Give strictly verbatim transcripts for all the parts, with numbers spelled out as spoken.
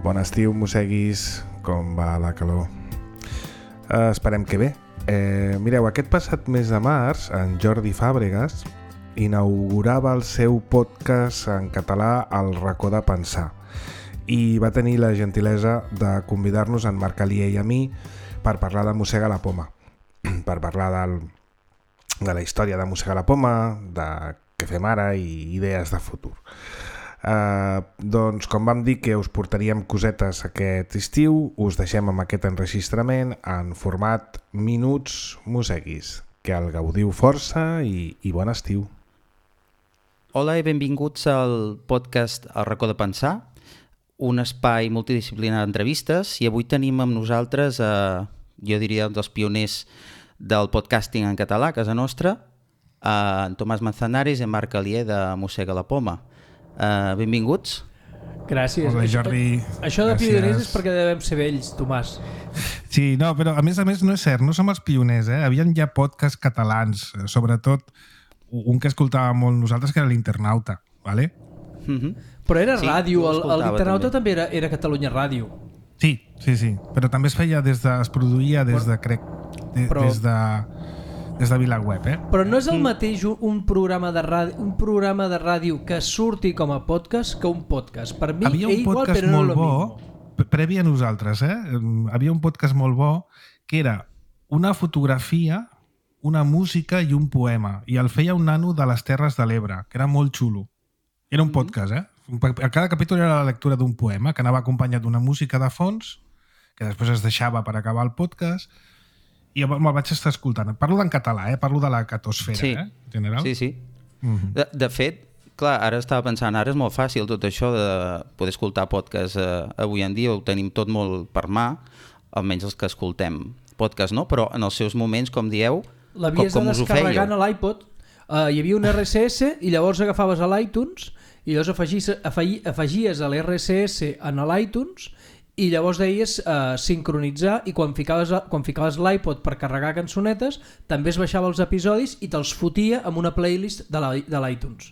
Bon estiu, mosseguis, com va la calor? Uh, esperem que bé. Eh, mireu, aquest passat mes de març, en Jordi Fàbregas inaugurava el seu podcast en català El racó de pensar i va tenir la gentilesa de convidar-nos en Marc Alier i a mi per parlar de Mossega la Poma, per parlar del, de la història de Mossega la Poma, de què fem ara i idees de futur. Uh, doncs com vam dir que us portaríem cosetes aquest estiu, us deixem amb aquest enregistrament en format Minuts Mosseguis. Que el gaudiu força i, i bon estiu. Hola i benvinguts al podcast El racó de pensar, un espai multidisciplinar d'entrevistes, i avui tenim amb nosaltres, eh, jo diria, dels pioners del podcasting en català a casa nostra, eh, en Tomàs Manzanares i en Marc Alier de Mossega la Poma. Uh, benvinguts. Gràcies. Hola, Jordi. Això de Gràcies. Pioners és perquè devem ser vells, Tomàs. Sí, no, però a més a més no és cert, no som els pioners, eh? Havien ja podcasts catalans, sobretot un que escoltàvem molt nosaltres, que era l'Internauta, ¿vale? Mm-hmm. Però era sí, ràdio, l'Internauta també, també era, era Catalunya Ràdio. Sí, sí, sí, però també es feia des de, es produïa des de, crec, de, però... des de... des de VilaWeb, eh? Però no és el mateix un programa de ràdio, un programa de ràdio que surti com a podcast que un podcast. Per mi havia un igual, podcast però molt no bo, previ a nosaltres, eh? Havia un podcast molt bo que era una fotografia, una música i un poema. I el feia un nano de les Terres de l'Ebre, que era molt xulo. Era un podcast, eh? A cada capítol era la lectura d'un poema que anava acompanyat d'una música de fons, que després es deixava per acabar el podcast. I me'l vaig estar escoltant. Parlo en català, eh? Parlo de la catosfera, sí. eh? En general. Sí, sí. Mm-hmm. De, de fet, clar, ara estava pensant, ara és molt fàcil tot això de poder escoltar podcast eh, avui en dia, ho tenim tot molt per mà, almenys els que escoltem podcast, no? Però en els seus moments, com dieu, com, com us ho fèieu? A l'iPod, uh, hi havia un R S S i llavors agafaves a l'iTunes i llavors afegies, afegies a l'R S S en l'iTunes i llavors deies uh, sincronitzar, i quan ficaves, quan ficaves l'iPod per carregar cançonetes també es baixava els episodis i te'ls fotia amb una playlist de l'iTunes.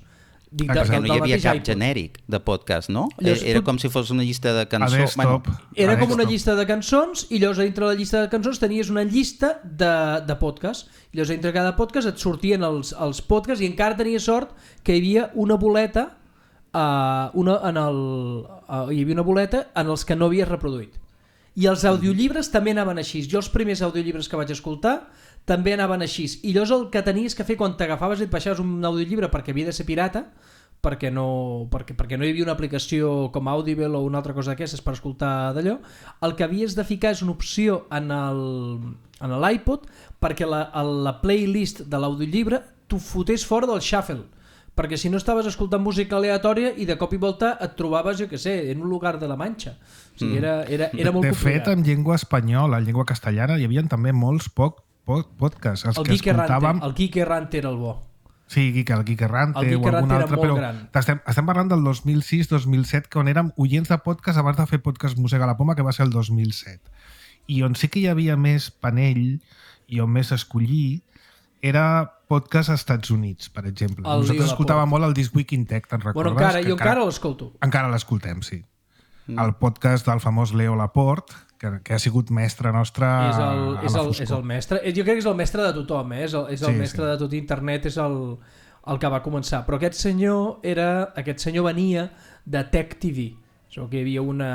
Dic, de, perquè no hi havia cap iPod genèric de podcast, no? Llavors, era tu... com si fos una llista de cançons. Bueno, era com una llista de cançons i llavors dintre de la llista de cançons tenies una llista de, de podcast. I llavors dintre de cada podcast et sortien els, els podcasts i encara tenies sort que hi havia una boleta Uh, una, en el, uh, hi havia una boleta en els que no havies reproduït. I els audiollibres també anaven així. Jo els primers audiollibres que vaig escoltar també anaven així. I llavors el que tenies que fer quan t'agafaves i et baixaves un audiollibre, perquè havia de ser pirata, perquè no, perquè, perquè no hi havia una aplicació com Audible o una altra cosa d'aquestes per escoltar d'allò, el que havies de ficar és una opció en l'iPod perquè la, la playlist de l'audiollibre t'ho fotés fora del shuffle, perquè si no estaves escoltant música aleatòria i de cop i volta et trobaves, jo què sé, en un lugar de la Manxa. O sigui, era, era, era molt de, de complicat. fet, en llengua espanyola, en llengua castellana, hi havia també molts poc, poc podcasts. Els el, que Quique escoltàvem... Rante, el Quique Rante era el bo. Sí, Quique, el Quique Rante el Quique o algun Rante altre, però estem, estem parlant del dos mil sis dos mil set, que on érem oients de podcast abans de fer podcast Mossega la Poma, que va ser el dos mil set. I on sí que hi havia més panell i on més escollir era podcast als Estats Units, per exemple. El Nosaltres escoltàvem molt el This Week in Tech, te'n recordes? Bueno, encara, jo encara, encara l'escolto. Encara l'escoltem, sí. Mm. El podcast del famós Leo Laporte, que, que ha sigut mestre nostre és el, a és la el, és el mestre. Jo crec que és el mestre de tothom, eh? és el, és el sí, mestre sí. de tot internet, és el, el que va començar. Però aquest senyor, era, aquest senyor venia de Tech T V. O que hi havia una...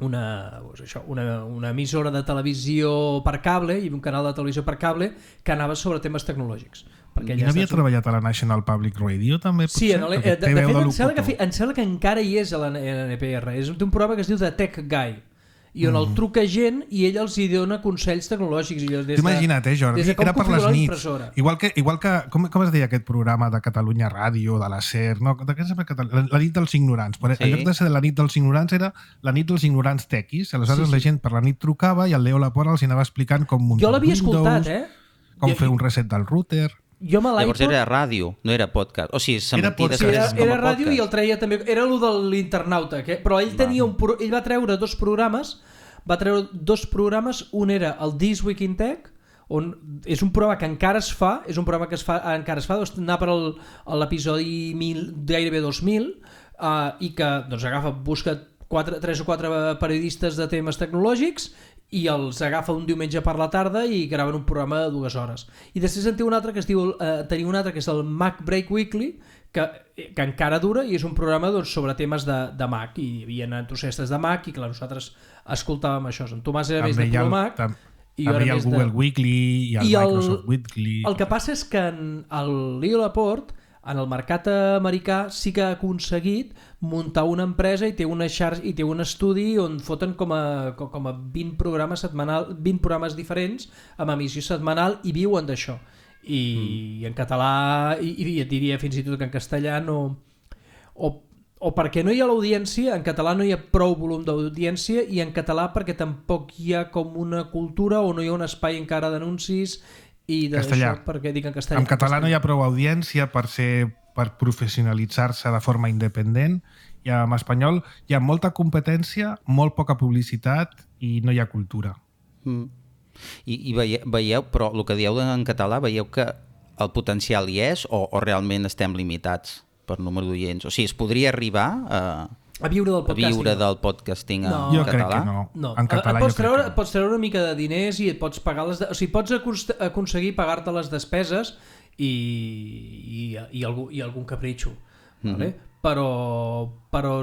Una, doncs això, una, una emissora de televisió per cable i un canal de televisió per cable que anava sobre temes tecnològics. Perquè I n'havia treballat a la National Public Radio també? Sí, en el, de, de, de fet em sembla, que, em sembla que encara hi és a la N P R. És un programa que es diu The Tech Guy i on mm. el truca gent i ell els hi dona consells tecnològics. T'ho imagina't, eh, Jordi? De era per les nits. Igual que, igual que com, com es deia aquest programa de Catalunya Ràdio, de la SER, no? De què la, la nit dels ignorants. Però sí. En lloc de ser la nit dels ignorants era la nit dels ignorants tequis. Aleshores sí, sí. La gent per la nit trucava i el Leo Laporte els anava explicant com muntar jo l'havia Windows, escoltat, eh? com jo, fer un reset del router... Jo Llavors era ràdio, no era podcast. O sigui, s'emetia després era, com a era podcast. ràdio i el treia també... Era el de l'Internauta, que, però ell, tenia un, ell va treure dos programes va treure dos programes, un era el This Week in Tech, on és un programa que encara es fa, és un programa que es fa, encara es fa, doncs anar per l'episodi gairebé dos mil, uh, i que doncs agafa, busca quatre, tres o quatre periodistes de temes tecnològics i els agafa un diumenge per la tarda i graven un programa de dues hores. I després en té un altre que es diu, eh, tenia un altre que és el Mac Break Weekly, que, que encara dura i és un programa doncs, sobre temes de, de Mac, i hi havia entusiastes de Mac i clar, nosaltres escoltàvem això. En Tomàs era també més de el, Pro Mac tam, i també hi ha el Google de... Weekly i el I Microsoft el, Weekly. El que passa és que en el Leo Laporte, en el mercat americà, sí que ha aconseguit muntar una empresa i té una xarxa i té un estudi on foten com a, com a vint programes setmanal, vint programes diferents amb emissió setmanal i viuen d'això. I, mm. en català, i, i et diria fins i tot que en castellà no... O, o perquè no hi ha l'audiència, en català no hi ha prou volum d'audiència, i en català perquè tampoc hi ha com una cultura o no hi ha un espai encara d'anuncis i castellà. Això, perquè dic en castellà. En català no hi ha prou audiència per ser per professionalitzar-se de forma independent, i en espanyol hi ha molta competència, molt poca publicitat i no hi ha cultura. Mm. I, i veieu, veieu, però el que dieu en català, veieu que el potencial hi és o, o realment estem limitats per número d'oients? O sigui, es podria arribar a, a viure del a podcasting, viure del podcasting no. en jo català? Crec que no. No. En català et pots jo crec treure, que no. pots treure una mica de diners i et pots pagar les... De... O sigui, pots aconseguir pagar-te les despeses i, i, i, algú, i algun capritxo. Mm-hmm. Vale? Però, però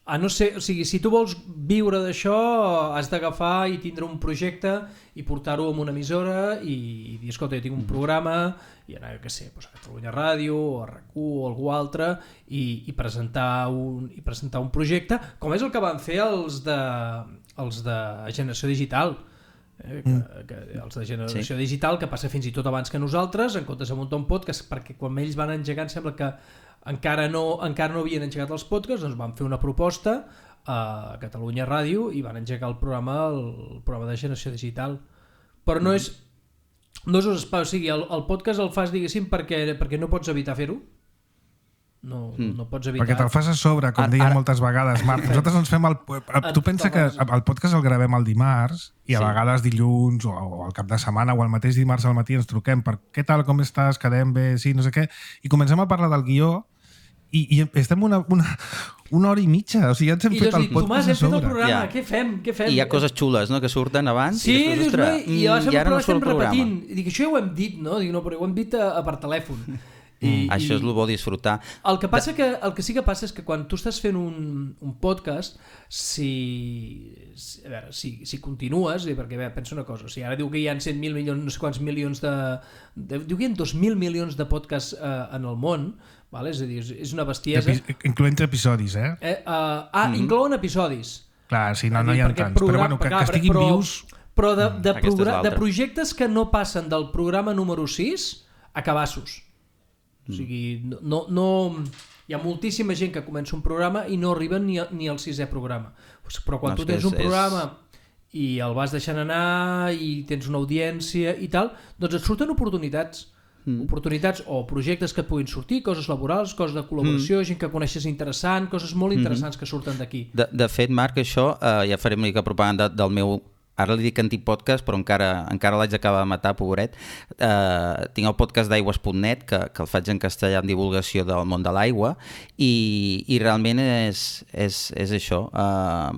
a no ser, o sigui, si tu vols viure d'això has d'agafar i tindre un projecte i portar-ho a una emissora i, i dir, escolta, jo tinc un programa i anar, jo què sé, doncs a Catalunya Ràdio o a R A C u o algú altre i, i, presentar un, i presentar un projecte, com és el que van fer els de, els de Generació Digital. Eh, que, que els de Generació sí. Digital, que passa fins i tot abans que nosaltres, en comptes de muntar un podcast, perquè quan ells van engegar em sembla que encara no, encara no havien engegat els podcasts, doncs van fer una proposta a Catalunya Ràdio i van engegar el programa, el programa de Generació Digital. Però no és, no és un espai, o sigui, el, el podcast el fas, diguéssim, perquè, perquè no pots evitar fer-ho. No, mm. no pots evitar. Perquè te'l fas a sobre, com ara, deia ara... moltes vegades, Marc. Nosaltres ens fem el... Tu pensa que el podcast el gravem el dimarts i a sí. vegades dilluns o, o al cap de setmana o el mateix dimarts al matí ens truquem per què tal, com estàs, quedem bé, sí, no sé què, i comencem a parlar del guió i, i estem una, una, una hora i mitja, o sigui, ja ens hem I fet el dic, podcast Tomàs, a hem fet el sobre. programa, Ja. què fem? Què fem? I hi ha coses xules, no?, que surten abans sí, i després, dius, ostres, i, ara i ara no surt estem el programa. repetint. I dic, això ja ho hem dit, no? Dic, no, però ho hem dit a, a per telèfon. I, Mm, això és el bo disfrutar. El que passa que el que sí que passa és que quan tu estàs fent un, un podcast, si, si, a veure, si, si continues, i perquè a veure, pensa una cosa, o sigui, ara diu que hi ha cent mil milions, no sé quants milions de, de diu que hi ha dos mil milions de podcasts eh, en el món, vale? És a dir, és, és una bestiesa. Epi incloent episodis, eh? eh uh, ah, mm. inclouen episodis. Clar, sí, no, no hi ha tants, programa, però bueno, que, clar, que estiguin però, vius... Però de, de, Aquesta és de l'altra. projectes que no passen del programa número sis a cabassos. O sigui, no, no, no, hi ha moltíssima gent que comença un programa i no arriben ni, a, ni al sisè programa. Però quan no, tu tens és, un programa és... i el vas deixant anar i tens una audiència i tal, doncs et surten oportunitats. Mm. Oportunitats o projectes que et puguin sortir, coses laborals, coses de col·laboració, mm. gent que coneixes interessant, coses molt interessants mm-hmm. que surten d'aquí. De, de fet, Marc, això, eh, ja faré una mica propaganda del meu... Ara li dic antic podcast, però encara, encara l'haig d'acabar de matar, pobret. Uh, tinc el podcast d'aigües punt net, que, que el faig en castellà en divulgació del món de l'aigua, i, i realment és, és, és això. Uh,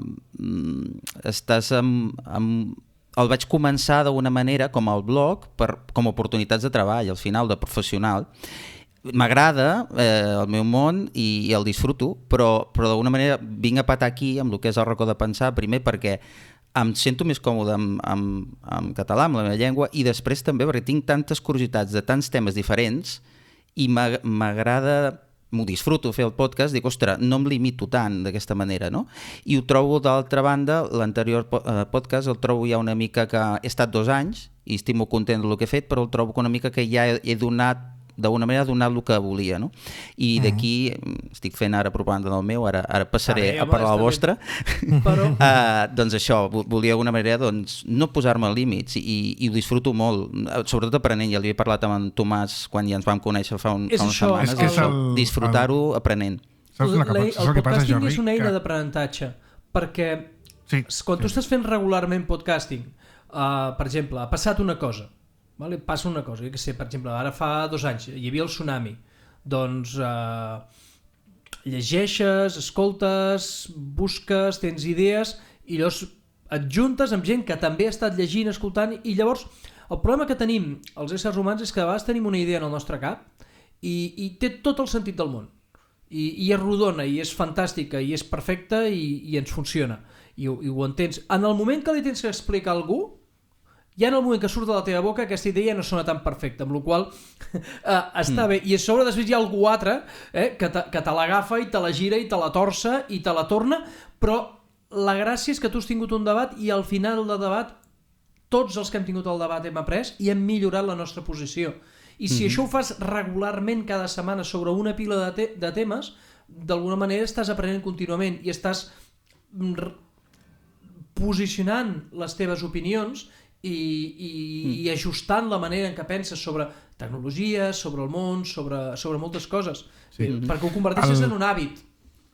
estàs amb... amb el vaig començar d'una manera com el blog, per, com oportunitats de treball, al final, de professional. M'agrada eh, el meu món i, i el disfruto, però, però d'alguna manera vinc a patar aquí amb el que és el racó de pensar, primer perquè em sento més còmode amb, amb, amb català, amb la meva llengua, i després també perquè tinc tantes curiositats de tants temes diferents i m'agrada, m'ho disfruto fer el podcast, dic, ostres, no em limito tant d'aquesta manera, no? I ho trobo d'altra banda, l'anterior podcast el trobo ja una mica que he estat dos anys i estic molt content del que he fet, però el trobo una mica que ja he, he donat d'alguna manera donat el que volia, no? I d'aquí estic fent ara propaganda del meu, ara, ara passaré ah, bé, a parlar de la vostra. Però... uh, doncs això, volia d'alguna manera doncs, no posar-me límits i, i ho disfruto molt, sobretot aprenent. Ja li he parlat amb en Tomàs quan ja ens vam conèixer fa, un, fa unes això, setmanes, és el, disfrutar-ho el... aprenent. Saps el, el, el podcasting Jordi? És una eina que... d'aprenentatge, perquè sí, quan tu sí. estàs fent regularment podcasting, uh, per exemple, ha passat una cosa, vale? Passa una cosa, jo què sé, per exemple, ara fa dos anys hi havia el tsunami, doncs eh, llegeixes, escoltes, busques, tens idees i llavors et juntes amb gent que també ha estat llegint, escoltant, i llavors el problema que tenim els éssers humans és que a vegades tenim una idea en el nostre cap i, i té tot el sentit del món. I, i és rodona, i és fantàstica, i és perfecta, i, i ens funciona. I, i ho entens. En el moment que li tens que explicar a algú, ja en el moment que surt de la teva boca aquesta idea ja no sona tan perfecta, amb la qual cosa eh, està mm. bé. I a sobre després hi ha algú altre eh, que, te, que te l'agafa i te la gira i te la torça i te la torna, però la gràcia és que tu has tingut un debat i al final del debat tots els que hem tingut el debat hem après i hem millorat la nostra posició. I si mm-hmm. això ho fas regularment cada setmana sobre una pila de, te de temes, d'alguna manera estàs aprenent contínuament i estàs posicionant les teves opinions i, i, mm. i ajustant la manera en què penses sobre tecnologia, sobre el món, sobre, sobre moltes coses, sí. eh, perquè ho converteixes el... en un hàbit.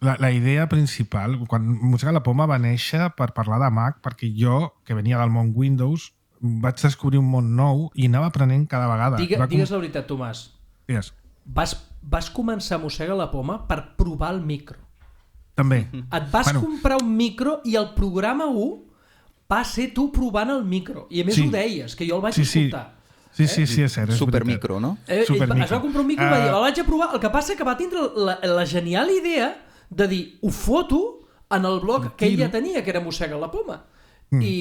La, la idea principal, quan Mossega la Poma va néixer per parlar de Mac, perquè jo, que venia del món Windows, vaig descobrir un món nou i anava aprenent cada vegada. Digue, va digues com... la veritat, Tomàs. Digues. Vas, vas començar a Mossega la Poma per provar el micro. També. Et vas bueno. comprar un micro i el programa u va ser tu provant el micro. I a més sí. ho deies, que jo el vaig sí, escoltar. Sí, sí, sí, és cert. És Supermicro, no? Eh, Supermicro. Es va comprar un micro i uh... va dir, el vaig a provar. El que passa que va tindre la, la genial idea de dir, ho foto en el blog que ell ja tenia, que era Mossega la Poma. Mm. I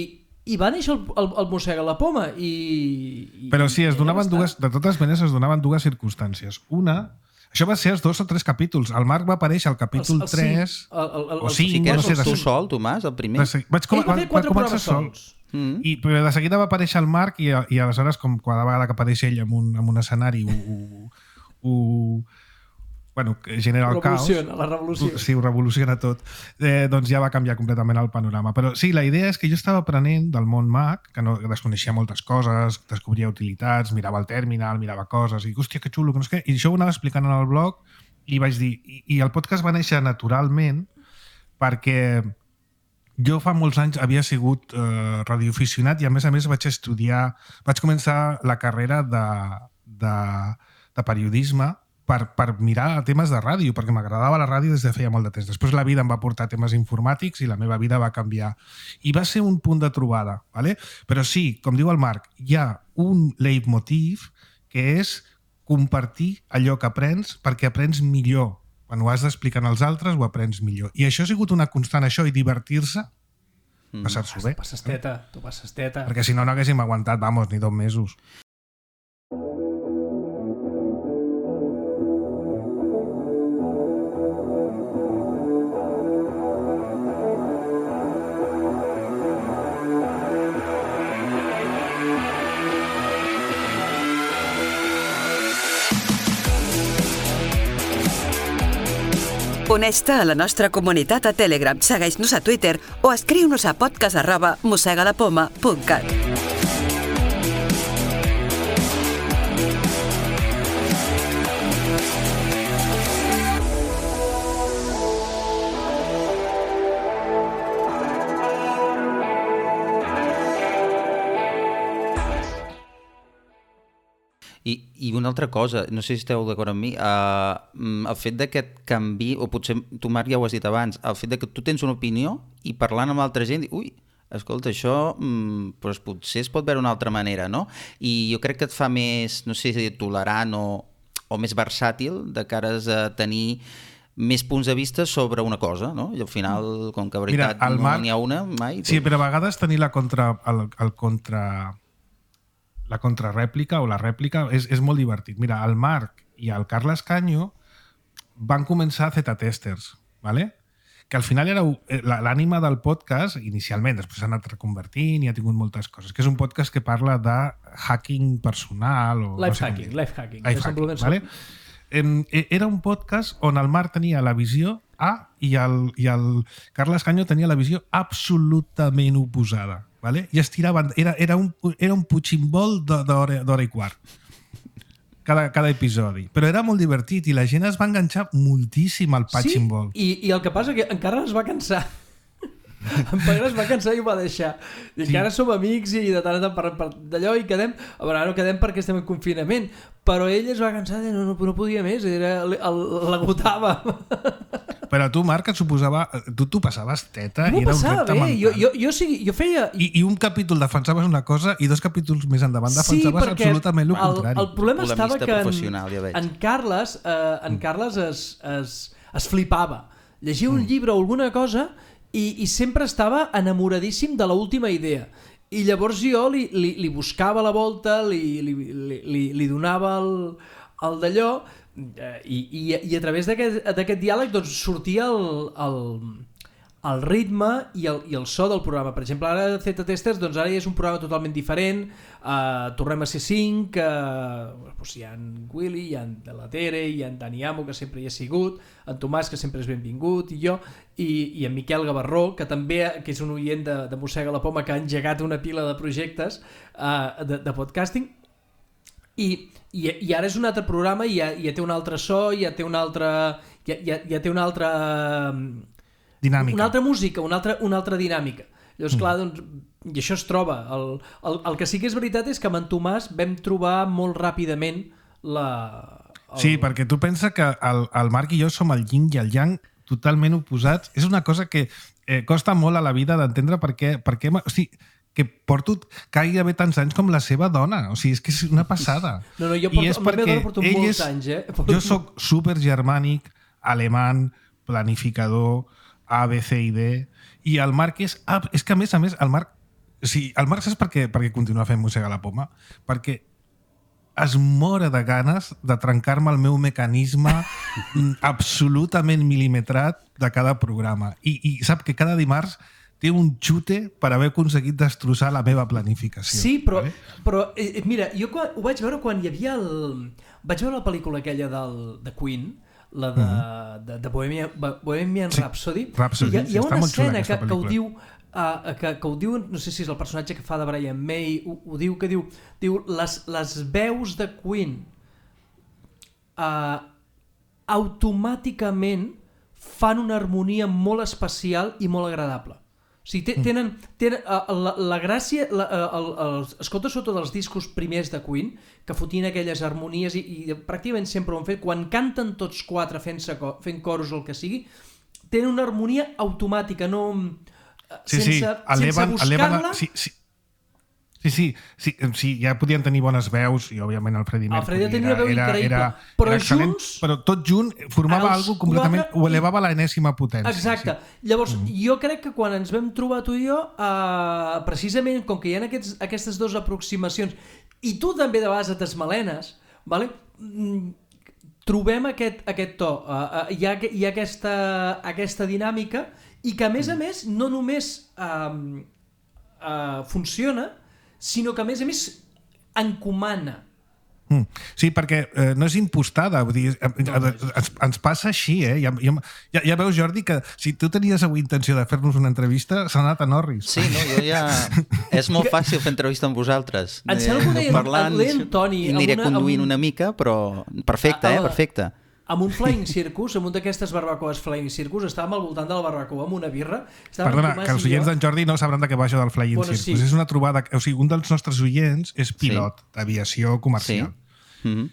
I va néixer el, el, el Mossega la Poma i, i... Però sí, es donaven dues, de totes maneres es donaven dues circumstàncies. Una, això va ser els dos o tres capítols. El Marc va aparèixer al capítol els, el tres cinc, el, el, el, o cinc. Sí que eres no sé, tu de... sol, Tomàs, el primer? De, vaig com, Ell va fer quatre programes sols. Mm. I, però de seguida va aparèixer el Marc i, i aleshores, com cada vegada que apareix ell en un, en un escenari ho, ho, ho, bueno, genera el caos. La revolució. Sí, ho revoluciona tot. Eh, doncs ja va canviar completament el panorama. Però sí, la idea és que jo estava aprenent del món Mac, que no que desconeixia moltes coses, descobria utilitats, mirava el terminal, mirava coses, i hòstia, que xulo, que no sé què. I això ho anava explicant en el blog i vaig dir... I, i el podcast va néixer naturalment perquè jo fa molts anys havia sigut eh, radioaficionat i a més a més vaig estudiar... Vaig començar la carrera de, de, de periodisme Per, per mirar temes de ràdio, perquè m'agradava la ràdio des de feia molt de temps. Després la vida em va portar temes informàtics i la meva vida va canviar. I va ser un punt de trobada. ¿Vale? Però sí, com diu el Marc, hi ha un leitmotiv que és compartir allò que aprens perquè aprens millor. Quan ho has d'explicar als altres, ho aprens millor. I això ha sigut una constant, això, i divertir-se, mm. passar-s'ho bé. Tu passes teta, tu passes teta. Perquè si no, no haguéssim aguantat, vamos, ni dos mesos. Uneix-te a la nostra comunitat a Telegram, segueix-nos a Twitter o escriu-nos a podcast arroba mossegalapoma punt cat. I, I una altra cosa, no sé si esteu d'acord amb mi, uh, el fet d'aquest canvi, o potser tu, Marc, ja ho has dit abans, el fet de que tu tens una opinió i parlant amb altra gent, ui, escolta, això mm, doncs potser es pot veure d'una altra manera, no? I jo crec que et fa més, no sé si tolerant o, o més versàtil de cares a tenir més punts de vista sobre una cosa, no? I al final, com que a veritat Mira, no Marc, n'hi ha una mai... Sí, però a vegades tenir la contra... El, el contra... la contrarèplica o la rèplica és, és molt divertit. Mira, el Marc i el Carles Canyo van començar Z-testers, ¿vale? Que al final era l'ànima del podcast, inicialment, després s'ha anat reconvertint i ha tingut moltes coses, que és un podcast que parla de hacking personal o... Life no sé hacking, life hacking. Life hacking, ¿vale? Era un podcast on el Marc tenia la visió A i el, i el Carles Canyo tenia la visió absolutament oposada. ¿Vale? I es tiraven, era, era, un, era un puigcimbol d'hora i quart cada, cada episodi, però era molt divertit i la gent es va enganxar moltíssim al puigcimbol. Sí, i, i el que passa que encara es va cansar. En Pere es va cansar i ho va deixar. I sí. que ara som amics i de tant en tant parlem per d'allò i quedem... A veure, no quedem perquè estem en confinament, però ell es va cansar i no, no, no podia més, era, l'agotava. Però tu, Marc, et suposava... Tu t'ho passaves teta no i era un passava repte bé. mental. Jo, jo, jo, sigui, jo feia... I, I un capítol defensaves una cosa i dos capítols més endavant defensaves sí, absolutament el contrari. El, el problema estava que en, ja en Carles, eh, en Carles es, es, es flipava. Llegia un mm. llibre o alguna cosa i, i sempre estava enamoradíssim de l'última idea. I llavors jo li, li, li buscava la volta, li, li, li, li donava el, el d'allò i, i, i a través d'aquest diàleg doncs, sortia el, el, el ritme i el, i el so del programa. Per exemple, ara Zeta Testers doncs ara ja és un programa totalment diferent, uh, tornem a ser cinc, uh, doncs hi ha en Willy, hi ha en De La Tere, hi ha en Dani Amo, que sempre hi ha sigut, en Tomàs, que sempre és benvingut, i jo, i, i en Miquel Gavarró, que també que és un oient de, de Mossega la Poma, que ha engegat una pila de projectes uh, de, de podcasting, i, i, i ara és un altre programa, i ja, ja té un altre so, ja té una altra... Ja, ja, ja té una altra... dinàmica. Una altra música, una altra, una altra dinàmica. Llavors, mm. clar, doncs, i això es troba. El, el, el que sí que és veritat és que amb en Tomàs vam trobar molt ràpidament la... El... Sí, perquè tu pensa que el, el Marc i jo som el yin i el yang totalment oposats. És una cosa que eh, costa molt a la vida d'entendre perquè... perquè o sigui, que porto gairebé tants anys com la seva dona. O sigui, és que és una passada. No, no, jo porto, I és perquè porto ell molts és, anys, eh? Porto... Jo sóc supergermànic, alemany, planificador, A, B, C i D, i el Marc és... Ah, és que a més a més, el Marc... O sigui, el Marc saps per què, per què continua fent Mossega la Poma? Perquè es mora de ganes de trencar-me el meu mecanisme absolutament mil·limetrat de cada programa. I, i sap que cada dimarts té un xute per haver aconseguit destrossar la meva planificació. Sí, però, vale? però eh, mira, jo quan, ho vaig veure quan hi havia el... Vaig veure la pel·lícula aquella del, de Queen, la de, mm-hmm. de, de Bohemian, Bohemian sí, Rhapsody. Rhapsody. Hi ha, hi ha una escena que, que ho diu... Uh, que, que ho diu, no sé si és el personatge que fa de Brian May, ho, ho diu, que diu, diu les, les veus de Queen uh, automàticament fan una harmonia molt especial i molt agradable. O sigui, tenen, tenen uh, la, la gràcia, la, uh, el, el, escolta sota dels discos primers de Queen, que fotien aquelles harmonies i, i pràcticament sempre ho han fet, quan canten tots quatre fent, fent coros o el que sigui, tenen una harmonia automàtica, no... Sí, sense, sí, eleven, sense buscar-la... Sí, sí. Sí, sí, sí, sí, ja podien tenir bones veus i òbviament el Freddie Mercury el tenia era, veu era, era, però era excel·lent, junts, però tot junt formava algo completament, quatre... ho elevava a l'enèsima potència. Exacte, sí. Llavors mm. jo crec que quan ens vam trobar tu i jo, uh, precisament com que hi ha aquests, aquestes dues aproximacions i tu també de vegades et desmalenes, vale? Mm, trobem aquest, aquest to, uh, uh, hi ha, hi ha aquesta, aquesta dinàmica i que a més a més no només uh, uh, funciona, sinó que a més a més encomana. Mm. Sí, perquè eh, no és impostada, vull dir, eh, ens, ens passa així, eh? Ja, ja, ja veus, Jordi, que si tu tenies avui intenció de fer-nos una entrevista, s'ha anat a Norris. Sí, no, jo ja... És molt fàcil fer entrevista amb vosaltres. Em sembla que ho deia, parlant, el deia en Toni... I aniré una, conduint un... una mica, però perfecte, a, a, eh? Perfecte. Amb un Flying Circus, amb un d'aquestes barbacoes Flying Circus, estàvem al voltant de la barbacoa amb una birra. Perdona, que els oients d'en Jordi no sabran de què va això del Flying bueno, Circus. Sí. És una trobada... O sigui, un dels nostres oients és pilot sí. d'aviació comercial. Sí. Mm-hmm.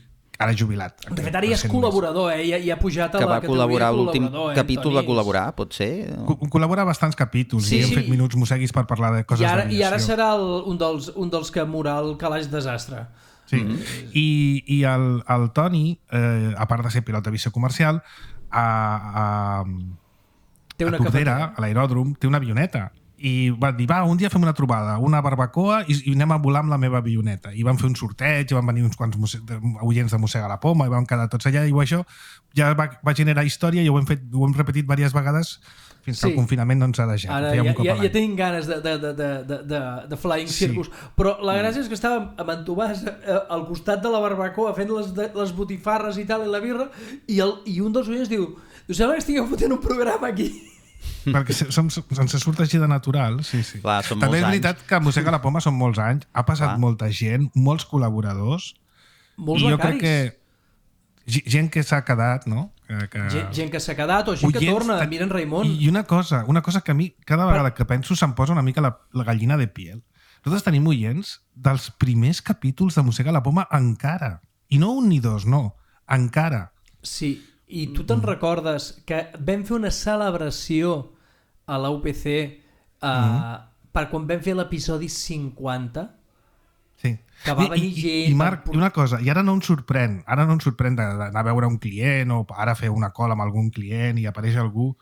Ara jubilat. De fet, ara ja és col·laborador, eh? Ja, ja ha pujat a que la va col·laborar l'últim eh, capítol, va col·laborar, pot ser? Co col·labora bastants capítols sí, i hem sí. fet minuts mosseguis per parlar de coses d'aviació. I ara serà el, un, dels, un dels que morà el calaix desastre. Sí, mm -hmm. I, i el, el Toni, eh, a part de ser pilot d'aviació comercial, a, a, té una a Tordera, a l'aeròdrom, té una avioneta. I va dir, va, un dia fem una trobada, una barbacoa, i, i anem a volar amb la meva avioneta. I van fer un sorteig, i van venir uns quants oients de Mossega la Poma, i vam quedar tots allà, i això ja va, va generar història, i ho hem, fet, ho hem repetit diverses vegades, fins que sí. el confinament no ens ha deixat. Ara ja, ja, ja tenim ganes de, de, de, de, de, de Flying Circus. Sí. Però la gràcia és que estàvem amb en Tomàs al costat de la barbacoa fent les, les botifarres i tal, i la birra, i, el, i un dels oients diu, diu, sembla que estigueu fotent un programa aquí. Perquè som, ens surt així de natural. Sí, sí. Clar, també és veritat anys. que Mossega la Poma són molts anys, ha passat Clar. molta gent, molts col·laboradors, molts i jo becaris. crec que gent que s'ha quedat, no? Que, que... Gent, gent que s'ha quedat o gent que torna, ta- miren Raimon. I una cosa, una cosa que a mi, cada vegada que penso, se'm posa una mica la, la gallina de piel. Nosaltres tenim oients dels primers capítols de Mossega la Poma encara. I no un ni dos, no. Encara. Sí, i tu te'n recordes que vam fer una celebració a la U P C uh, mm. per quan vam fer l'episodi cinquanta? Sí. Que va I, venir i, gent... I Marc, i una cosa, i ara no em sorprèn, ara no em sorprèn d'anar a veure un client o ara fer una call amb algun client i apareix algú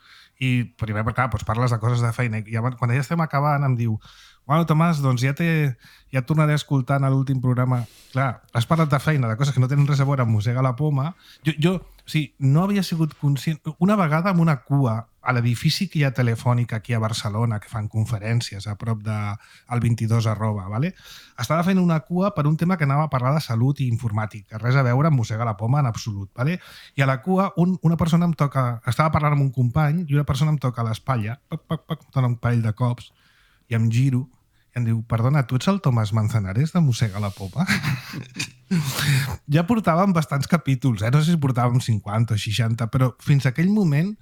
i primer, clar, doncs parles de coses de feina i quan ja estem acabant em diu bueno, Tomàs, doncs ja, ja et tornaré a escoltar en l'últim programa. Clar, has parlat de feina, de coses que no tenen res a veure amb Mossega la Poma. Jo, jo o sigui, no havia sigut conscient... Una vegada amb una cua a l'edifici que hi ha Telefònica aquí a Barcelona, que fan conferències a prop del de, vint-i-dos arroba, ¿vale? Estava fent una cua per un tema que anava a parlar de salut i informàtica, res a veure amb Mossega la Poma en absolut, ¿vale? I a la cua un, una persona em toca... Estava parlant amb un company i una persona em toca a l'espatlla, pac, pac, pac, dona un parell de cops i em giro i em diu, perdona, tu ets el Tomàs Manzanares de Mossega la Poma? Ja portàvem bastants capítols, eh? No sé si portàvem cinquanta o seixanta, però fins a aquell moment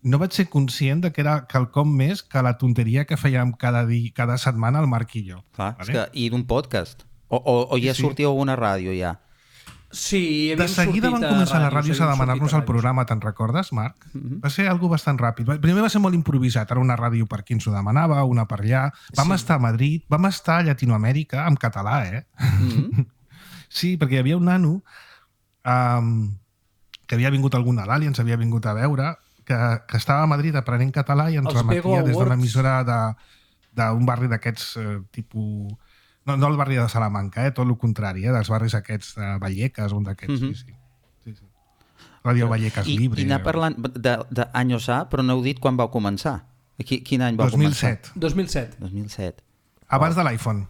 no vaig ser conscient de que era quelcom més que la tonteria que fèiem cada, dia, cada setmana el Marc i jo. Clar, vale? És que, i d'un podcast. O, o, o ja Sí, sí. sortia alguna ràdio, ja? Sí, De seguida van començar a les ràdios a demanar-nos el programa, te'n recordes, Marc? Mhm. Va ser algo bastant ràpid. Primer va ser molt improvisat, era una ràdio per qui ens ho demanava, una per allà. Vam Sí. estar a Madrid, vam estar a Llatinoamèrica, en català, eh? Mhm. Sí, perquè hi havia un nano um, que havia vingut algun Nadal i ens havia vingut a veure, que, que estava a Madrid aprenent català i ens Els Bego remetia des d'una Awards. emissora d'un barri d'aquests eh, tipus... No, no el barri de Salamanca, eh? Tot el contrari, eh? Dels barris aquests de Vallecas, un d'aquests, Mhm. sí, sí. sí, sí. Ràdio Vallecas I, Libre. I anar parlant d'anys A, però no heu dit quan vau començar. Qui, quin any vau dos mil començar? set, dos mil set. dos mil set. abans de l'iPhone.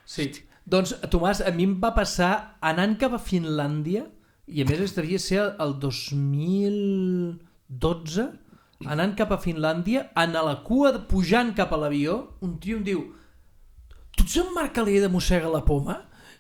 Sí. Doncs, Tomàs, a mi em va passar anant cap a Finlàndia, i a més es devia ser el dos mil dotze, anant cap a Finlàndia, en a la cua, de- pujant cap a l'avió, un tio em diu tu ets en Marc Alier de Mossega la Poma?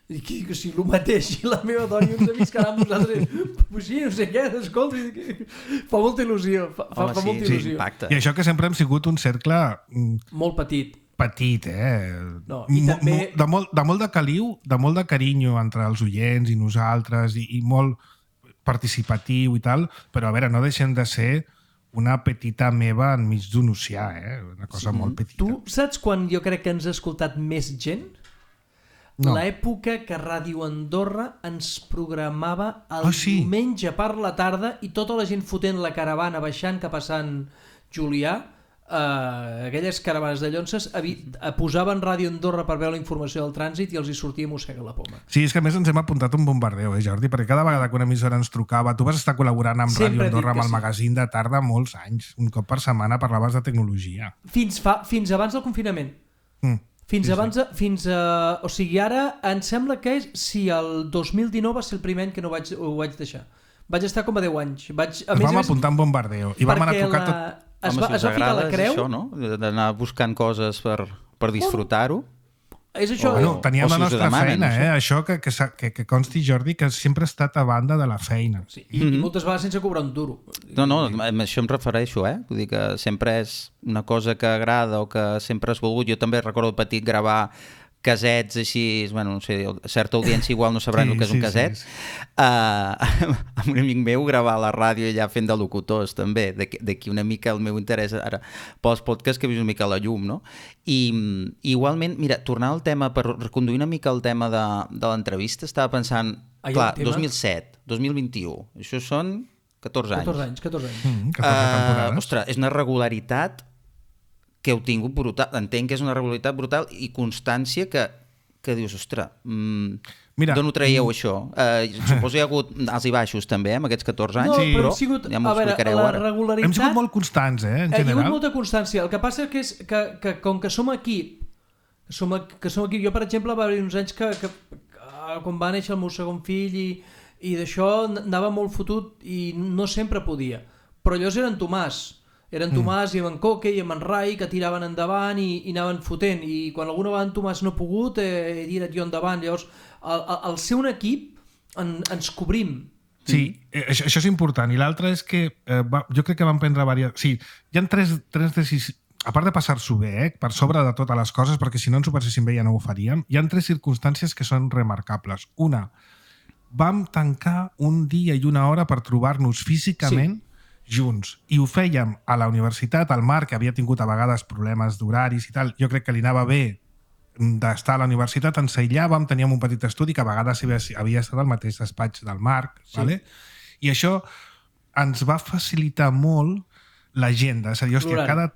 I que, que sí, el mateix, i la meva dona i uns amics que anàvem nosaltres, pues sí, no sé què, escolta, i que- fa molta il·lusió, fa, fa, Home, fa sí, molta sí, il·lusió. impacta. I això que sempre hem sigut un cercle mm, Molt petit. petit, eh? No, i Mo- també- mo- de, molt, de molt de caliu, de molt de carinyo entre els oients i nosaltres, i, i molt participatiu i tal, però a veure, no deixem de ser una petita meva enmig d'un oceà, eh? Una cosa Sí. molt petita. Tu saps quan jo crec que ens ha escoltat més gent? No. L'època que Ràdio Andorra ens programava el Ah, sí? diumenge per la tarda i tota la gent fotent la caravana baixant cap a Sant Julià, eh, aquelles caravanes de llonces, avi- eh, posaven Ràdio Andorra per veure la informació del trànsit i els hi sortia Mossega la Poma. Sí, és que a més ens hem apuntat un bombardeu, eh, Jordi? Perquè cada vegada que una emissora ens trucava, tu vas estar col·laborant amb Sempre Ràdio dic Andorra, que amb el sí. magazín de tarda molts anys. Un cop per setmana parlaves de tecnologia. Fins, fa, fins abans del confinament. Mm. Fins Sí, abans, de, fins a... O sigui, ara em sembla que és... Si el dos mil dinou va ser el primer any que no vaig, ho vaig deixar. Vaig estar com a deu anys. Vaig, a Ens més, a vam més, apuntar en bombardeo i vam anar a perquè trucar la... tot... Es Home, va, si es us va ficar agrada la és creu. això, no? D'anar buscant coses per, per disfrutar-ho. És això. O- eh? Bueno, teníem o si la us ho nostra demanen, feina, això. eh? Això que, que, sa- que, que consti, Jordi, que sempre ha estat a banda de la feina. Sí, i, i moltes vegades sense cobrar un duro. No, no, a això em refereixo, eh? Vull dir que sempre és una cosa que agrada o que sempre has volgut. Jo també recordo de petit gravar casets així, bueno, no sé, certa audiència igual no sabran Sí, el que és sí, un caset. sí, sí. Uh, amb un amic meu gravar a la ràdio allà fent de locutors també, d'aquí d'aquí una mica el meu interès ara pels podcasts que he vist una mica a la llum, no? I i igualment, mira, tornar al tema, per reconduir una mica el tema de, de l'entrevista, estava pensant, Ai, clar, el tema? dos mil set, dos mil vint-i-u, això són catorze anys. catorze anys, catorze anys. Mm, catorze Uh, temporades. ostres, és una regularitat que heu tingut brutal. Entenc que és una regularitat brutal i constància que, que dius, ostres, mm, Mira, d'on ho traieu, això? Uh, suposo que hi ha hagut alts i baixos, també, eh, amb aquests catorze anys, No, Sí. però però hem sigut, ja m'ho a veure, explicareu la ara. regularitat... Hem sigut molt constants, eh, en Hi ha hagut general. molta constància. El que passa que és que, que com que som equip, que som, que som equip, jo per exemple va haver uns anys que, que, que quan va néixer el meu segon fill i, i d'això anava molt fotut i no sempre podia. Però llavors era en Tomàs. Era en Tomàs mm. i en Coque i en Rai que tiraven endavant i, i anaven fotent. I quan alguna vegada en Tomàs no ha pogut, eh, he tirat jo endavant. Llavors, al, al ser un equip, en, ens cobrim. Sí, mm. això, això és important. I l'altre és que eh, va, jo crec que van prendre diverses... Sí, hi ha tres, tres decisions... A part de passar-s'ho bé, eh, per sobre de totes les coses, perquè si no ens ho passéssim bé ja no ho faríem, hi ha tres circumstàncies que són remarcables. Una, vam tancar un dia i una hora per trobar-nos físicament sí. junts. I ho fèiem a la universitat, al Marc, que havia tingut a vegades problemes d'horaris i tal, jo crec que li anava bé d'estar a la universitat, ens aïllàvem, teníem un petit estudi que a vegades havia estat al mateix despatx del Marc, sí. vale? I això ens va facilitar molt l'agenda, és a dir, hòstia, cada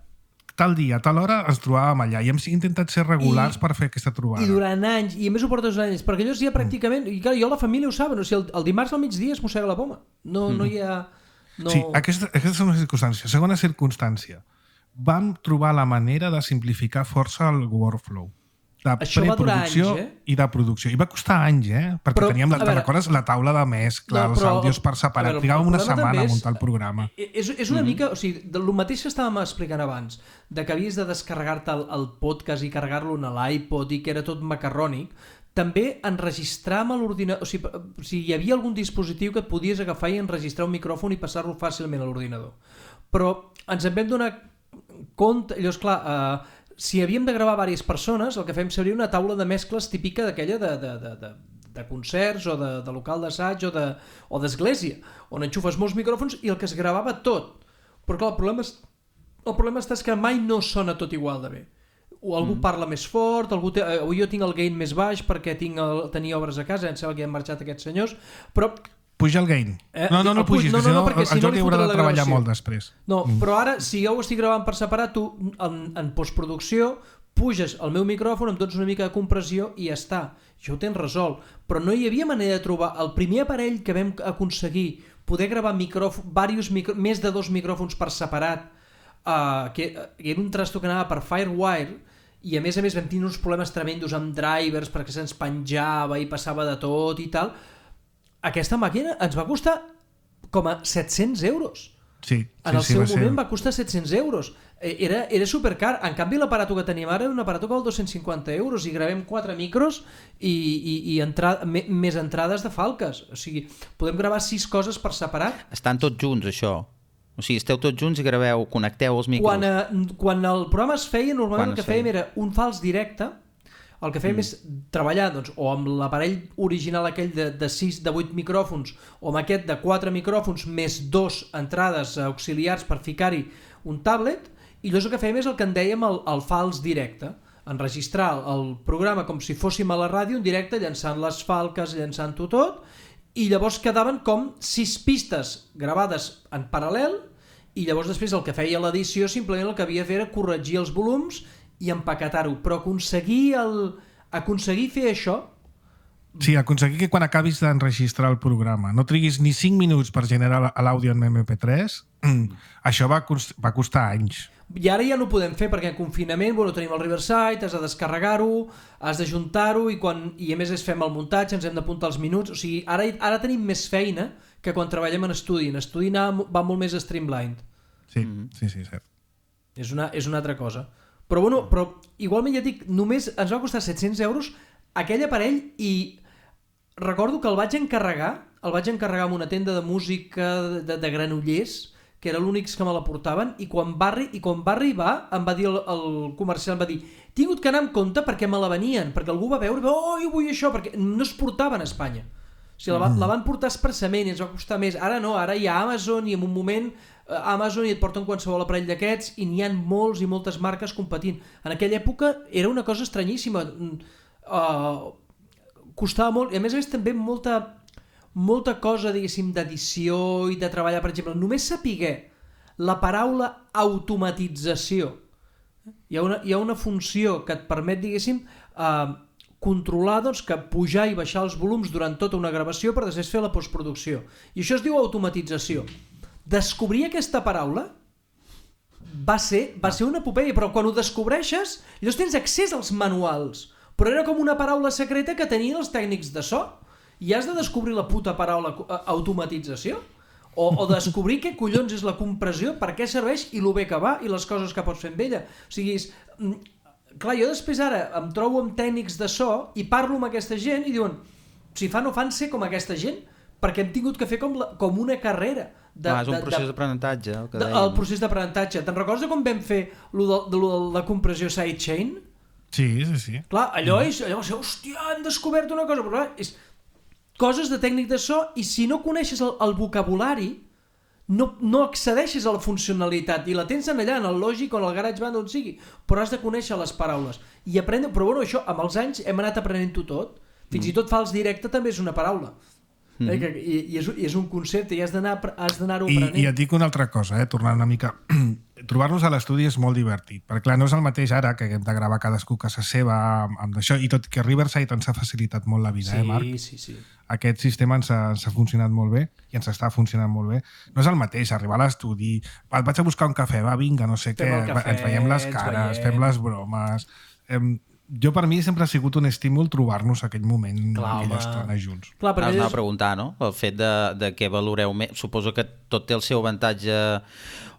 tal dia, a tal hora ens trobàvem allà i hem intentat ser regulars I, per fer aquesta trobada. I durant anys, i a més ho portes anys, perquè allò ja pràcticament, mm. i clar, jo la família ho saben, o sigui, el, el dimarts al migdia es mossega la poma, no, mm. no hi ha... No... Sí, aquesta, aquesta és una circumstància. Segona circumstància, vam trobar la manera de simplificar força el workflow. De Això preproducció anys, eh? i de producció. I va costar anys, eh? Perquè però, teníem, la, veure, recordes, la taula de mescla, no, però, els àudios per separat. Trigàvem una setmana a muntar el programa. És, és una mm-hmm. mica, o sigui, el mateix que estàvem explicant abans, de que havies de descarregar-te el, el podcast i carregar-lo en l'iPod i que era tot macarrònic, també enregistrar amb l'ordinador, o sigui, o sigui, hi havia algun dispositiu que et podies agafar i enregistrar un micròfon i passar-lo fàcilment a l'ordinador. Però ens en vam donar compte, llavors, clar, eh, si havíem de gravar diverses persones, el que fem seria una taula de mescles típica d'aquella de, de, de, de, de concerts o de, de local d'assaig o, de, o d'església, on enxufes molts micròfons i el que es gravava tot. Però clar, el problema, és, el problema està és que mai no sona tot igual de bé. O algú mm. parla més fort, algú té, o jo tinc el gain més baix perquè tinc el, tenia obres a casa, em sembla que han marxat aquests senyors, però... Puja el gain. Eh? No, no, no pugis, no, no, no, perquè si el Jordi no haurà de treballar molt després. No, mm. però ara, si jo ho estic gravant per separat, tu, en, en postproducció, puges el meu micròfon, em dones una mica de compressió i ja està. Jo ho tens resolt. Però no hi havia manera de trobar el primer aparell que vam aconseguir poder gravar micròfon, varios micro, més de dos micròfons per separat, uh, que, que era un trasto que anava per Firewire, i a més a més vam tenir uns problemes tremendos amb drivers perquè se'ns penjava i passava de tot i tal. Aquesta màquina ens va costar com a set-cents euros. Sí, sí, en el sí, seu va moment ser... va costar set-cents euros. Era, era supercar. En canvi, l'aparato que tenim ara és un aparato que val dos-cents cinquanta euros i gravem quatre micros i, i, i entra... més entrades de falques. O sigui, podem gravar sis coses per separat. Estan tots junts, això. O sigui, esteu tots junts i graveu, connecteu els micros. Quan, eh, quan el programa es feia, normalment quan el que fèiem era un fals directe. El que fèiem mm. és treballar doncs, o amb l'aparell original aquell de, de sis, de vuit micròfons, o amb aquest de quatre micròfons més dos entrades auxiliars per ficar-hi un tablet, i llavors el que fèiem és el que en dèiem el, el fals directe, enregistrar el programa com si fóssim a la ràdio en directe, llançant les falques, llançant-ho tot, i llavors quedaven com sis pistes gravades en paral·lel, i llavors després el que feia l'edició simplement el que havia de fer era corregir els volums i empaquetar-ho, però aconseguir, el... aconseguir fer això... Sí, aconseguir que quan acabis d'enregistrar el programa no triguis ni cinc minuts per generar l'àudio en eme pe tres, mm. això va, cost... va costar anys. I ara ja no ho podem fer perquè en confinament bueno, tenim el Riverside, has de descarregar-ho, has d'ajuntar-ho i, quan... i a més es fem el muntatge, ens hem d'apuntar els minuts, o sigui, ara, ara tenim més feina que quan treballem en estudi. En estudi va molt més streamlined. Sí, mm-hmm. sí, sí, cert. És una, és una altra cosa. Però, bueno, però igualment ja dic, només ens va costar set-cents euros aquell aparell i recordo que el vaig encarregar, el vaig encarregar en una tenda de música de, de Granollers, que era l'únic que me la portaven, i quan va, i quan va arribar em va dir el, el comercial, em va dir he tingut que anar amb compte perquè me la venien, perquè algú va veure, oh, jo vull això, perquè no es portaven a Espanya. O sigui, la, va, la van portar expressament i ens va costar més. Ara no, ara hi ha Amazon i en un moment Amazon i et porten qualsevol aparell d'aquests i n'hi ha molts i moltes marques competint. En aquella època era una cosa estranyíssima. Uh, costava molt, i a més a més també molta, molta cosa, diguéssim, d'edició i de treballar, per exemple, només sapiguer la paraula automatització. Hi ha una, hi ha una funció que et permet, diguéssim, uh, controlar doncs, que pujar i baixar els volums durant tota una gravació per després fer la postproducció. I això es diu automatització. Descobrir aquesta paraula va ser, va ser una epopeia, però quan ho descobreixes, llavors tens accés als manuals, però era com una paraula secreta que tenien els tècnics de so, i has de descobrir la puta paraula automatització, o, o descobrir què collons és la compressió, per què serveix i lo bé que va, i les coses que pots fer amb ella. O sigui, és, clar, jo després ara em trobo amb tècnics de so i parlo amb aquesta gent i diuen, si fan o fan ser com aquesta gent, perquè hem tingut que fer com, la, com una carrera. De, ah, és un de, procés de, d'aprenentatge. El, que de, dèiem. el procés d'aprenentatge. Te'n recordes de com vam fer lo de, de, lo de la compressió sidechain? Sí, sí, sí. Clar, allò és, allò va ser, hòstia, hem descobert una cosa, però clar, és coses de tècnic de so, i si no coneixes el, el vocabulari, no, no accedeixes a la funcionalitat, i la tens en allà, en el Logic o en el GarageBand, on sigui, però has de conèixer les paraules. I aprendre, però bueno, això, amb els anys hem anat aprenent-ho tot. Fins mm. i tot fals directe també és una paraula. Mm -hmm. eh, i, i, és, I és un concepte, i has d'anar-ho aprenent. I, I et dic una altra cosa, eh, tornant una mica... Trobar-nos a l'estudi és molt divertit, perquè clar, no és el mateix ara que hem de gravar cadascú a casa seva amb, amb això, i tot que Riverside ens ha facilitat molt la vida, sí, eh, Marc? Sí, sí. Aquest sistema ens ha, ens ha funcionat molt bé i ens està funcionant molt bé. No és el mateix arribar a l'estudi, vaig a buscar un cafè, va, vinga, no sé fem què, cafè, ens veiem les cares, fem les bromes... Eh, jo per mi sempre ha sigut un estímul trobar-nos aquell moment, clar, aquella home. estona junts. Clar, Ara us anava és... a preguntar, no? El fet de, de què valoreu més. Suposo que tot té el seu avantatge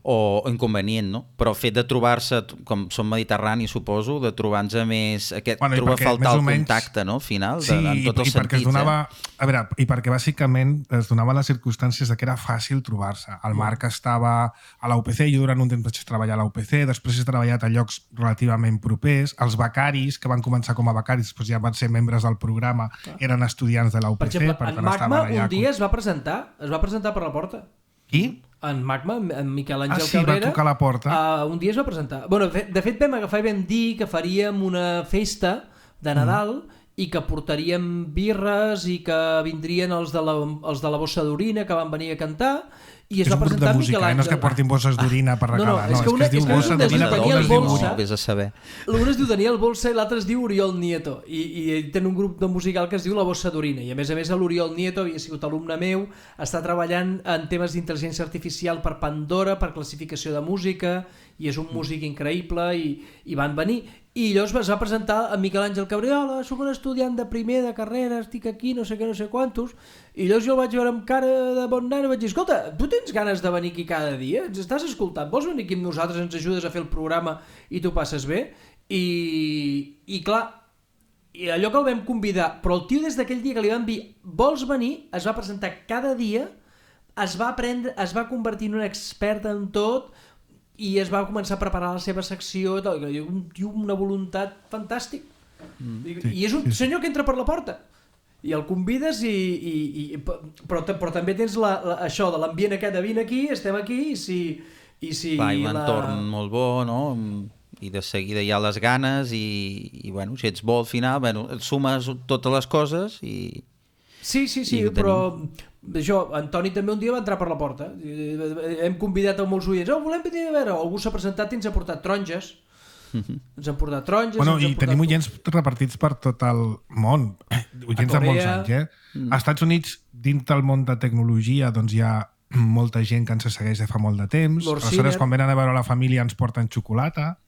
o inconvenient, no? Però el fet de trobar-se, com som mediterranis, suposo, de trobar-nos més... Aquest, bueno, trobar a faltar el menys... contacte, no? Al final, sí, de, en tots i, els i perquè sentits. es donava, eh? a veure, i perquè bàsicament es donava les circumstàncies de que era fàcil trobar-se. El Marc estava a la U P C, jo durant un temps vaig treballar a la U P C, després he treballat a llocs relativament propers. Els becaris, que van començar com a becaris, després ja van ser membres del programa, eren estudiants de la U P C. Per exemple, per en tant, Magma allà un dia es va presentar, es va presentar per la porta. Qui? En Magma, en Miquel Àngel ah, sí, Cabrera, va tocar la porta. Uh, un dia es va presentar. Bueno, de fet vam agafar i vam dir que faríem una festa de Nadal mm. i que portaríem birres i que vindrien els de la, els de la Bossa d'Orina que van venir a cantar, i es és va un grup presentar de música, Miquel Àngel. eh? No és que portin bosses d'orina per regalar, no, no, és que, una, és que es diu bossa d'orina per Daniel Bolsa, Vés a saber. un es diu Daniel Bolsa i l'altre es diu Oriol Nieto, i, i ell té un grup de musical que es diu La Bossa d'Orina, i a més a més l'Oriol Nieto havia sigut alumne meu, està treballant en temes d'intel·ligència artificial per Pandora, per classificació de música, i és un músic increïble, i, i van venir. I llavors es va presentar a Miquel Àngel Cabriola, soc un estudiant de primer de carrera, estic aquí, no sé què, no sé quantos, i llavors jo el vaig veure amb cara de bon nen i vaig dir, escolta, tu tens ganes de venir aquí cada dia? Ens estàs escoltant? Vols venir aquí amb nosaltres, ens ajudes a fer el programa i tu passes bé? I, i clar, i allò que el vam convidar, però el tio des d'aquell dia que li vam dir vols venir, es va presentar cada dia, es va aprendre, es va convertir en un expert en tot, i es va començar a preparar la seva secció, un tio amb una voluntat fantàstic. Mm. I, I és un senyor que entra per la porta i el convides i, i, i però, però també tens la, la, això de l'ambient aquest de vine aquí, estem aquí, i si, i si Clar, i un la... entorn molt bo, no? I de seguida hi ha les ganes i, i bueno, si ets bo al final, bueno, et sumes totes les coses i... Sí, sí, sí, però això, Antoni també un dia va entrar per la porta. Hem convidat a molts oients, oh, volem venir a veure, algú s'ha presentat i ens ha portat taronges. Ens han portat taronges. Bueno, ens i portat... tenim oients repartits per tot el món. Oients de molts anys, eh? Mm. Als Estats Units, dins del món de tecnologia, doncs hi ha molta gent que ens segueix de fa molt de temps. Aleshores, quan venen a veure la família ens porten xocolata.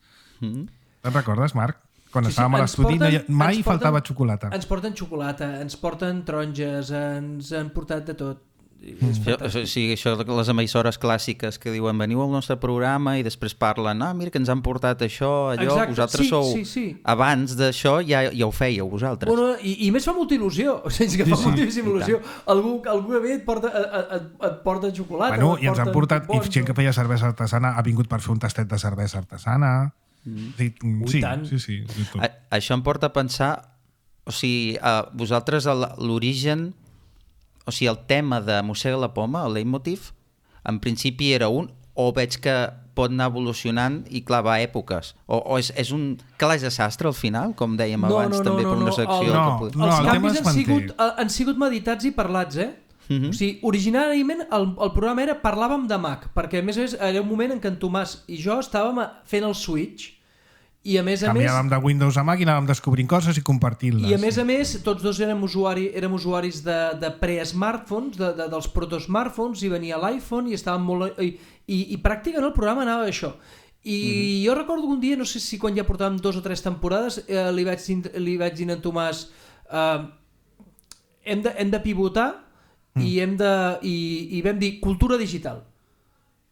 Mm. Te'n recordes, Marc? Quan sí, estàvem sí, a l'estudi no hi, mai porten, faltava xocolata. Ens porten xocolata, ens porten taronges, ens han portat de tot. Mm. Això, sí, això de les emissores clàssiques que diuen veniu al nostre programa i després parlen, ah, mira que ens han portat això, allò, exacte. Vosaltres sí, sou... Sí, sí. Abans d'això ja, ja ho fèieu vosaltres. Bueno, i, I més fa molta il·lusió, o sigui, que fa sí, moltíssima sí. il·lusió. Algú, algú ve et porta, et, et porta xocolata. Bueno, i ens han portat, i gent que feia cervesa artesana ha vingut per fer un tastet de cervesa artesana. Mm. Sí, sí, sí, sí, sí, a, això em porta a pensar, o sigui, a vosaltres l'origen, o sigui, el tema de Mossega la Poma, el leitmotiv, en principi era un, o veig que pot anar evolucionant i clar, va a èpoques, o, o és, és un calaix de sastre al final, com dèiem no, abans no, també no, per no, una secció. el, no, que... no, els el canvis han sigut, han sigut meditats i parlats, eh? Uh-huh. O sigui, originàriament el, el programa era parlàvem de Mac, perquè a més a més era un moment en què en Tomàs i jo estàvem fent el switch i a més a canviàvem més, de Windows a Mac i anàvem descobrint coses i compartint-les. I a més a més tots dos érem, usuari, érem usuaris de, de pre-smartphones, de, de, dels proto-smartphones, i venia l'iPhone i estàvem molt... I, i, i pràcticament el programa anava d'això. I uh-huh. jo recordo que un dia, no sé si quan ja portàvem dos o tres temporades, eh, li, vaig, li vaig dir a en Tomàs eh, hem, de, hem de pivotar mm. i, hem de, i, i vam dir cultura digital.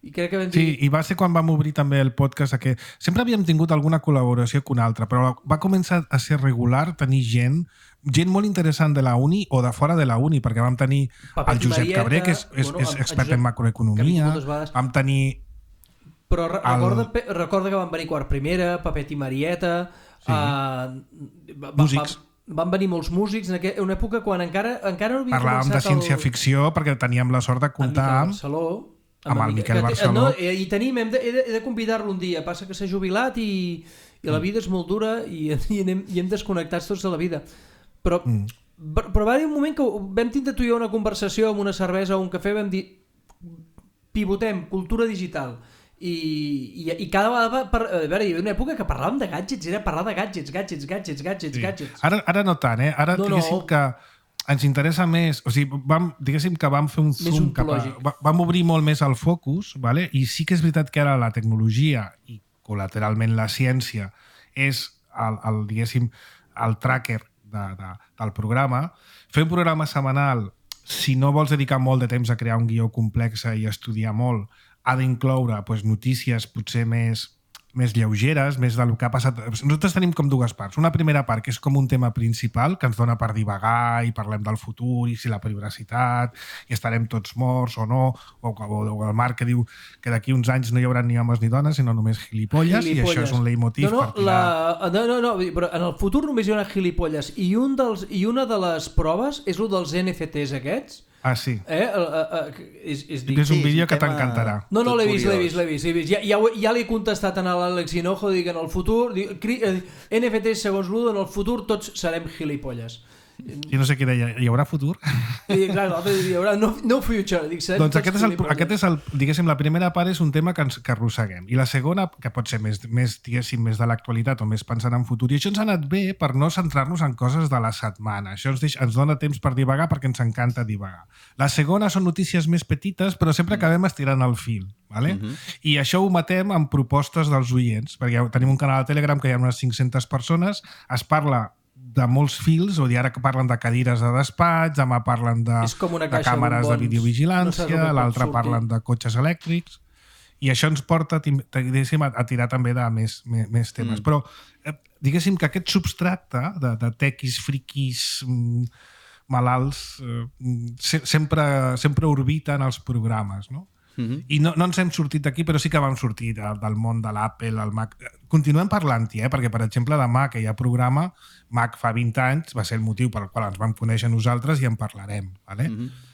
I crec que vam dir... Sí, i va ser quan vam obrir també el podcast que sempre havíem tingut alguna col·laboració que una altra, però va començar a ser regular, tenir gent, gent molt interessant de la uni o de fora de la uni, perquè vam tenir Papet el Josep Marieta, Cabré, que és, és, bueno, és el expert Josep, en macroeconomia, vam tenir... Però re el... recorda, recorda que van venir Quart Primera, Papet i Marieta... Sí. Uh, va, músics. Va, van venir molts músics en una època quan encara, encara no havia Parlàvem començat de ciència-ficció perquè teníem la sort de comptar amb... Barceló, amb, amb el Miquel que, Barceló. No, i tenim, hem de, he de, de convidar-lo un dia. Passa que s'ha jubilat i, i la vida és molt dura i, i, anem, i hem desconnectats tots de la vida. Però, mm. però va haver un moment que vam tindre tu i jo una conversació amb una cervesa o un cafè, vam dir pivotem, cultura digital. I, i, i cada vegada, per, a veure, hi havia una època que parlàvem de gadgets, era parlar de gadgets, gadgets, gadgets, gadgets, sí. gadgets. Ara, ara no tant, eh? Ara no, diguéssim no. que ens interessa més, o sigui, vam, diguéssim que vam fer un zoom cap a... Vam obrir molt més el focus, vale? I sí que és veritat que ara la tecnologia i col·lateralment la ciència és el, el diguéssim, el tracker de, de, del programa. Fer un programa setmanal, si no vols dedicar molt de temps a crear un guió complex i estudiar molt, ha d'incloure pues, notícies potser més... més lleugeres, més del que ha passat. Nosaltres tenim com dues parts. Una primera part que és com un tema principal que ens dona per divagar i parlem del futur i si la privacitat i estarem tots morts o no, o, o, o el Marc que diu que d'aquí uns anys no hi haurà ni homes ni dones sinó només gilipolles, gilipolles. I això és un leitmotiv no, no, per tirar... la... no, no, no, però en el futur només hi haurà gilipolles i, un dels, i una de les proves és el dels N F Ts aquests. Ah, sí. Eh? Uh, uh, uh, és, és, dic, és un vídeo que t'encantarà. No, no, l'he vist, l'he vist, l'he vist, vist. Ja, ja, ja l'he contestat a l'Àlex Hinojo, dic, en el futur, dic, N F Ts segons l'Udo, en el futur tots serem gilipolles. I no sé què deia, hi haurà futur? I clar, l'altre hi haurà no, no future. Dic, doncs aquest és, el, aquest és el, diguéssim, la primera part és un tema que ens que arrosseguem. I la segona, que pot ser més, més, diguéssim, més de l'actualitat o més pensant en futur. I això ens ha anat bé per no centrar-nos en coses de la setmana. Això ens, deixa, ens dona temps per divagar perquè ens encanta divagar. La segona són notícies més petites, però sempre acabem estirant el fil. Vale? Uh-huh. I això ho matem amb propostes dels oients, perquè tenim un canal a Telegram que hi ha unes cinc-centes persones, es parla de molts fils, o dir, ara que parlen de cadires de despatx, demà parlen de, de càmeres de videovigilància, no l'altre parlen de cotxes elèctrics, i això ens porta a, a tirar també de més, més, més temes. Mm. Però eh, diguéssim que aquest substracte de, de tequis, friquis, mm, malalts, eh, se, sempre, sempre orbita en els programes, no? Mm-hmm. I no, no ens hem sortit d'aquí, però sí que vam sortir de, del món de l'Apple, el Mac. Continuem parlant-hi, eh? Perquè, per exemple, de Mac, que hi ha programa, Mac fa vint anys, va ser el motiu per al qual ens vam conèixer nosaltres i en parlarem. Vale? Mm-hmm.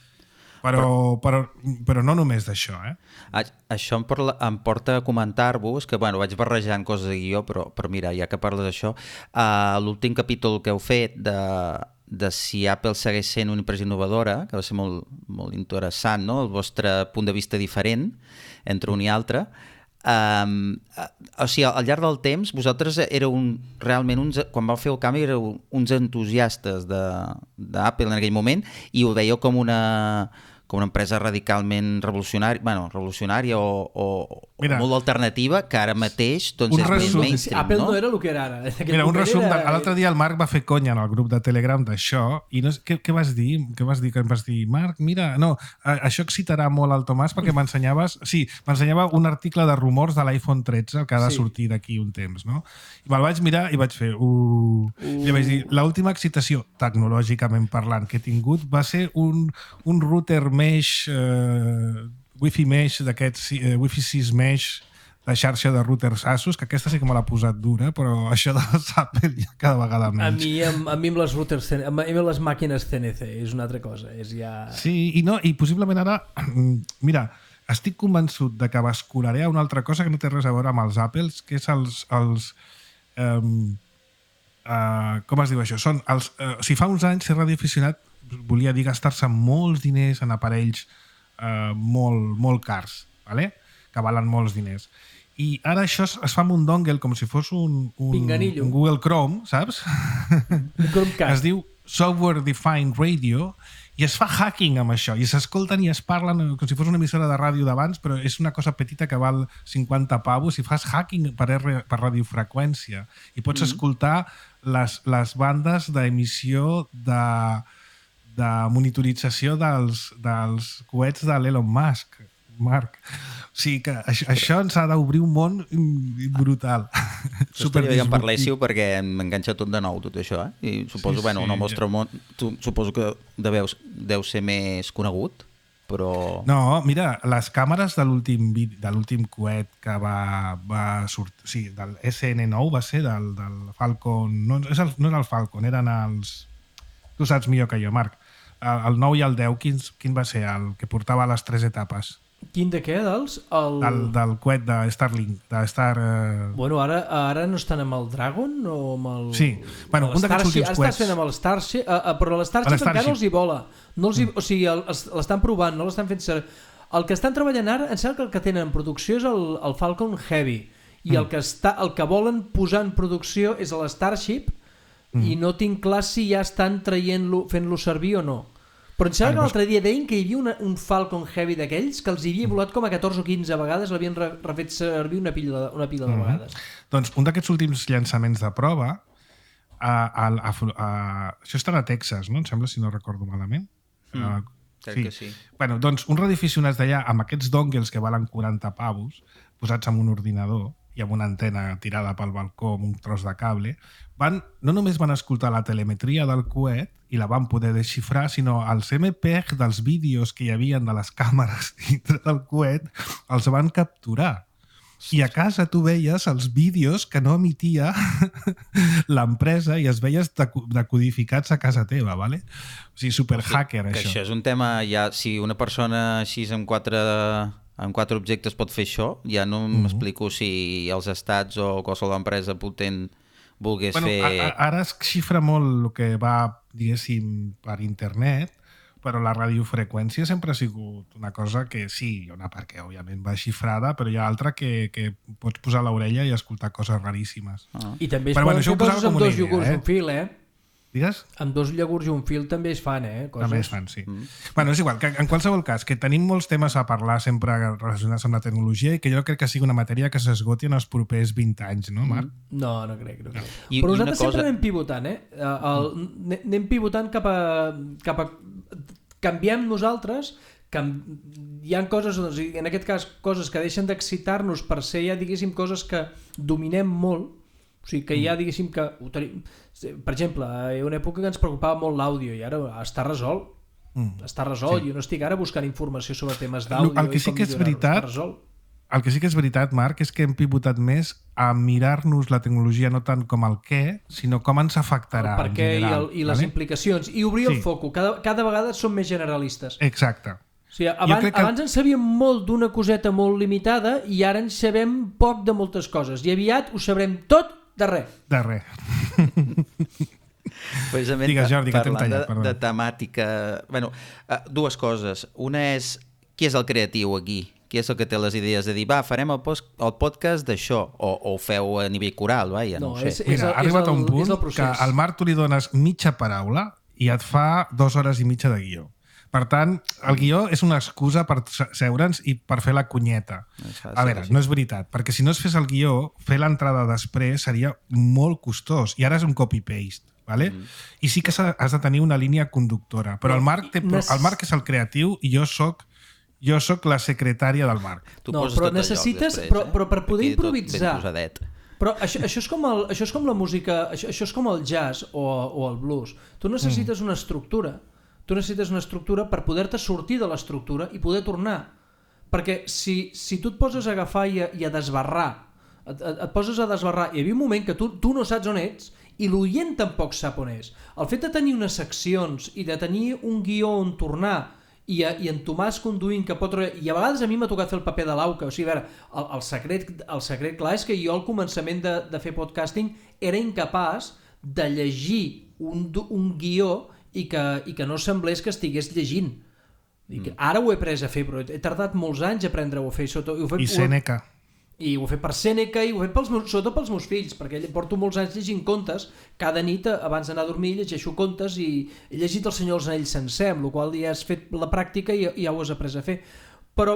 però, però, però no només d'això. Eh? Això em, porla, em porta a comentar-vos, que bueno, vaig barrejant coses de guió, però, però mira, ja que parles d'això, uh, l'últim capítol que heu fet de... de si Apple segueix sent una empresa innovadora, que va ser molt, molt interessant, no? El vostre punt de vista diferent entre un i altre. Um, o sigui, al llarg del temps, vosaltres éreu un, realment, uns, quan vau fer el canvi, éreu uns entusiastes d'Apple en aquell moment i ho veieu com una, com una empresa radicalment revolucionària, bueno, revolucionària o, o, o molt alternativa, que ara mateix doncs, és més mainstream. Apple no? no era el que era ara. Mira, un resum, era... l'altre dia el Marc va fer conya en el grup de Telegram d'això, i no, què, què vas dir? Què vas dir? Que em vas dir, Marc, mira, no, això excitarà molt al Tomàs perquè m'ensenyaves, sí, m'ensenyava un article de rumors de l'iPhone tretze que ha de sí. sortir d'aquí un temps, no? I me'l vaig mirar i vaig fer, uh... uh. I vaig dir, l'última excitació, tecnològicament parlant, que he tingut va ser un, un router mesh, uh, wifi mesh d'aquests, uh, wifi sis mesh de xarxa de routers Asus, que aquesta sí que me l'ha posat dura, però això de les Apple ja cada vegada menys. A mi, amb, a mi amb les routers, a mi amb les màquines C N C és una altra cosa, és ja... Sí, i, no, i possiblement ara, mira, estic convençut de que bascularé a una altra cosa que no té res a veure amb els Apples, que és els... els um, uh, com es diu això? Són els, uh, o sigui, fa uns anys ser radioaficionat volia dir gastar-se molts diners en aparells uh, molt, molt cars, ¿vale? Que valen molts diners. I ara això es, es fa amb un dongle com si fos un, un, un Google Chrome, saps? Es diu Software Defined Radio i es fa hacking amb això i s'escolten i es parlen com si fos una emissora de ràdio d'abans, però és una cosa petita que val cinquanta pavos i fas hacking per, R, per radiofreqüència i pots mm. escoltar les, les bandes d'emissió de, de monitorització dels, dels coets de l'Elon Musk. Marc. O sigui que això, això ens ha d'obrir un món brutal. Estaria bé que en parléssiu perquè m'enganxa tot de nou, tot això. Eh? I suposo, Sí, bueno, sí, en el vostre món, tu, suposo que deveu, deu ser més conegut, però... No, mira, les càmeres de l'últim vid- de l'últim coet que va, va sortir, sí, del S N nou va ser del, del Falcon, no, és el, no era el Falcon, eren els... Tu saps millor que jo, Marc. El, el nou i el deu, quin, quin va ser? El que portava les tres etapes. Quin de què, dels? El... Del, del coet de Starlink, de Star... Eh... Bueno, ara, ara no estan amb el Dragon o amb el... Sí, bueno, amb un d'aquests Starship? últims Ara coets. estàs fent amb el Starship, uh, uh, però l'Starship Starship. encara els hi vola. No els hi, o sigui, el- els- l'estan provant, no l'estan fent ser... El que estan treballant ara, em sembla que el que tenen en producció és el, el Falcon Heavy, i Mm. el, que està, el que volen posar en producció és el Starship, Mm. i no tinc clar si ja estan traient-lo, fent-lo servir o no. Però em sembla Ah, que doncs- l'altre dia deien que hi havia una, un Falcon Heavy d'aquells que els hi havia volat com a catorze o quinze vegades, l'havien re, refet servir una pila, de- una pila de Mhm. vegades. Doncs un d'aquests últims llançaments de prova, a, a, a, a, això estarà a Texas, no? Em sembla, si no recordo malament. Mm, Uh, crec que sí. Bueno, doncs uns radioaficionats d'allà, amb aquests dongles que valen quaranta pavos, posats amb un ordinador i amb una antena tirada pel balcó amb un tros de cable, van, no només van escoltar la telemetria del coet i la van poder desxifrar, sinó els M P E G dels vídeos que hi havia de les càmeres dintre del coet els van capturar. I a casa tu veies els vídeos que no emitia l'empresa i es veies decodificats a casa teva, ¿vale? O sigui, superhacker, Que això. això és un tema, ja, si una persona així amb quatre, amb quatre objectes pot fer això, ja no Mhm. m'explico si els estats o qualsevol empresa potent volgués Bueno, fer... a, a, ara es xifra molt el que va, diguéssim, per internet, però la radiofreqüència sempre ha sigut una cosa que sí, hi ha una part que òbviament va xifrada, però hi ha altra que, que pots posar l'orella i escoltar coses raríssimes. Ah. I també es Però poden bueno, això fer ho posava coses amb com una dos idea, iogurts eh? i un fil, eh? Digues? Amb dos iogurts i un fil també es fan, eh? Coses. També es fan, sí. Mm. Bueno, és igual, que en qualsevol cas, que tenim molts temes a parlar sempre relacionats amb la tecnologia i que jo crec que sigui una matèria que s'esgoti en els propers vint anys, no, Marc? No, no crec, no crec. I- Però i una nosaltres sempre cosa- anem pivotant, eh? El, anem- anem pivotant cap a... Cap a canviem nosaltres, cam... hi ha coses, doncs, en aquest cas, coses que deixen d'excitar-nos per ser ja, diguéssim, coses que dominem molt, o sigui, que ja, diguéssim, que ho tenim... Per exemple, hi ha una època que ens preocupava molt l'àudio i ara està resolt. Mm. Està resolt. Sí. Jo no estic ara buscant informació sobre temes d'àudio El que i sí com que és millorar-ho. veritat- Està resolt. El que sí que és veritat, Marc, és que hem pivotat més a mirar-nos la tecnologia no tant com el què, sinó com ens afectarà El per què en i, general. el, i les vale? implicacions. I obrir Sí. el foco. Cada, cada vegada som més generalistes. Exacte. O sigui, abans, crec que- abans en sabíem molt d'una coseta molt limitada i ara en sabem poc de moltes coses. I aviat ho sabrem tot de res. De res. Precisament Digues, Jordi, que t'hem parlant tallat, de, perdó. de temàtica... Bueno, uh, dues coses. Una és, qui és el creatiu aquí? Qui és el que té les idees de dir, va, farem el, post, el podcast d'això? O, o ho feu a nivell coral, va, ja no, No, ho sé. és- Mira, ha arribat a un el- és punt el procés. que al Marc tu li dones mitja paraula i et fa dues hores i mitja de guió. Per tant, el guió és una excusa per se- seure'ns i per fer la cunyeta. És fàcil, A veure, sí. no és veritat, perquè si no es fes el guió, fer l'entrada després seria molt costós, i ara és un copy-paste. Vale? Mm. I sí que s'ha- has de tenir una línia conductora, però el Marc, té, Nes- el Marc és el creatiu i jo sóc jo sóc la secretària del Marc. Tu No, poses però tot al lloc necessites- després, però- eh? però per poder Aquí tot improvisar- ben posadet. Però això, això, és com el, això és com la música, això, això és com el jazz o, o el blues. Tu necessites una estructura. Tu necessites una estructura per poder-te sortir de l'estructura i poder tornar. Perquè si, si tu et poses a agafar i a, i a desbarrar, et, et, et poses a desbarrar, i hi havia un moment que tu, tu no saps on ets i l'oient tampoc sap on és. El fet de tenir unes seccions i de tenir un guió on tornar i, a, i en Tomàs conduint que pot... I a vegades a mi m'ha tocat fer el paper de l'auca. O sigui, a veure, el, el, secret, el secret clar és que jo al començament de, de fer podcasting era incapaç de llegir un, do- un guió i que, i que no semblés que estigués llegint. I que ara ho he pres a fer, però he tardat molts anys a aprendre-ho a fer. Sota, ho he fet, I Sèneca. I ho he fet per Sèneca i ho he fet pels meus, sobretot pels meus fills, perquè porto molts anys llegint contes. Cada nit, abans d'anar a dormir, llegeixo contes i he llegit El Senyor dels Anells sencer, amb la qual ja has fet la pràctica i ja ho has après a fer. Però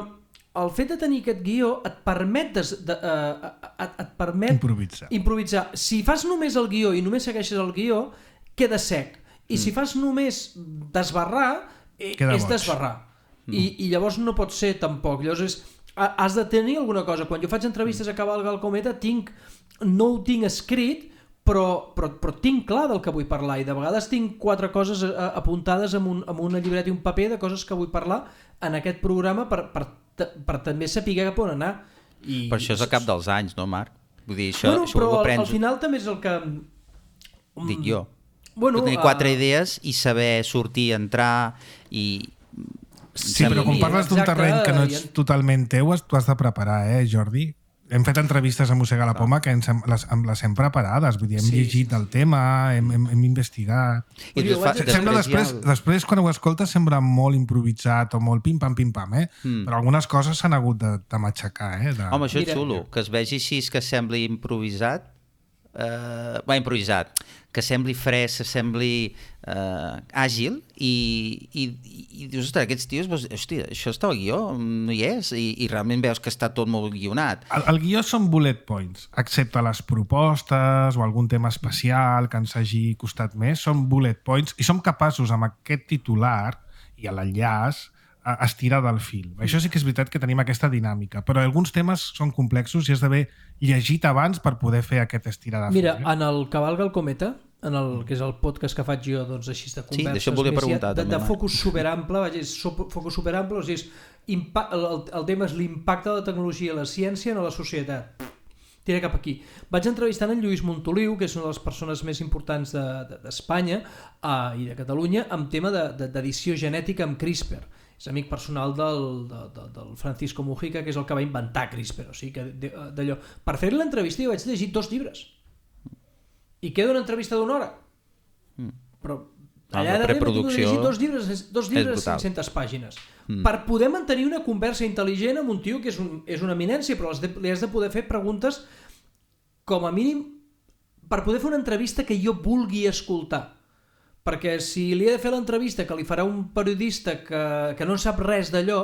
el fet de tenir aquest guió et permet, des, de, uh, et, et permet Improvisar. improvisar. Si fas només el guió i només segueixes el guió, queda sec. I si fas només desbarrar, eh, Queda és boig. desbarrar. I, i llavors no pot ser tampoc. Llavors és, has de tenir alguna cosa. Quan jo faig entrevistes a Cavalga el Cometa, tinc, no ho tinc escrit, però, però, però tinc clar del que vull parlar, i de vegades tinc quatre coses apuntades amb, un, amb una llibreta i un paper de coses que vull parlar en aquest programa per, per, per també saber cap on anar. I, per això és al cap dels anys, no, Marc? Vull dir, això, bueno, això però ho aprens... al final també és el que... Dic jo. Bueno, tenir quatre uh... idees i saber sortir, entrar i... Sí, però quan parles d'un terreny que no ets totalment teu, tu has de preparar, eh, Jordi? Hem fet entrevistes a Mossega la Poma que ens hem, les, les hem preparades, vull dir, hem sí. llegit el tema, hem, hem, hem investigat. I fa, sembla després, el... després, quan ho escoltes, sembla molt improvisat o molt pim-pam, pim-pam, eh? Mm. Però algunes coses s'han hagut de, de matxacar, eh? De... Home, això és xulo, que es vegi així, que sembli improvisat, eh, va, improvisat, que sembli fresc, que sembli eh, àgil, i, i, i dius, ostres, aquests tios, hòstia, això està al guió, no hi és, i, i realment veus que està tot molt guionat. El, el guió són bullet points, excepte les propostes o algun tema especial que ens hagi costat més, són bullet points, i som capaços amb aquest titular i l'enllaç a estirar del fil. Això sí que és veritat que tenim aquesta dinàmica, però alguns temes són complexos i has d'haver llegit abans per poder fer aquest estirar de fil. Mira, eh? En el Cavalga el Cometa, en el que és el podcast que faig jo, doncs així de converses, sí, d'això volia preguntar, de, també, de focus superample, vaja, és focus superample, o sigui, és impact, el, el tema és l'impacte de la tecnologia i la ciència en la societat. Tira cap aquí. Vaig entrevistant en Lluís Montoliu, que és una de les persones més importants d'Espanya de, de, uh, i de Catalunya, amb tema d'edició de, genètica amb CRISPR. És amic personal del, de, de, del Francisco Mujica, que és el que va inventar CRISPR. O sigui, que d'allò. Per fer-li l'entrevista jo vaig llegir dos llibres. I queda una entrevista d'una hora. Mm. Però allà ah, darrere tinc de llegir dos llibres, dos llibres de cinc-centes pàgines. Mm. Per poder mantenir una conversa intel·ligent amb un tio que és, un, és una eminència, però has de, li has de poder fer preguntes com a mínim per poder fer una entrevista que jo vulgui escoltar. Perquè si li he de fer l'entrevista que li farà un periodista que, que no sap res d'allò...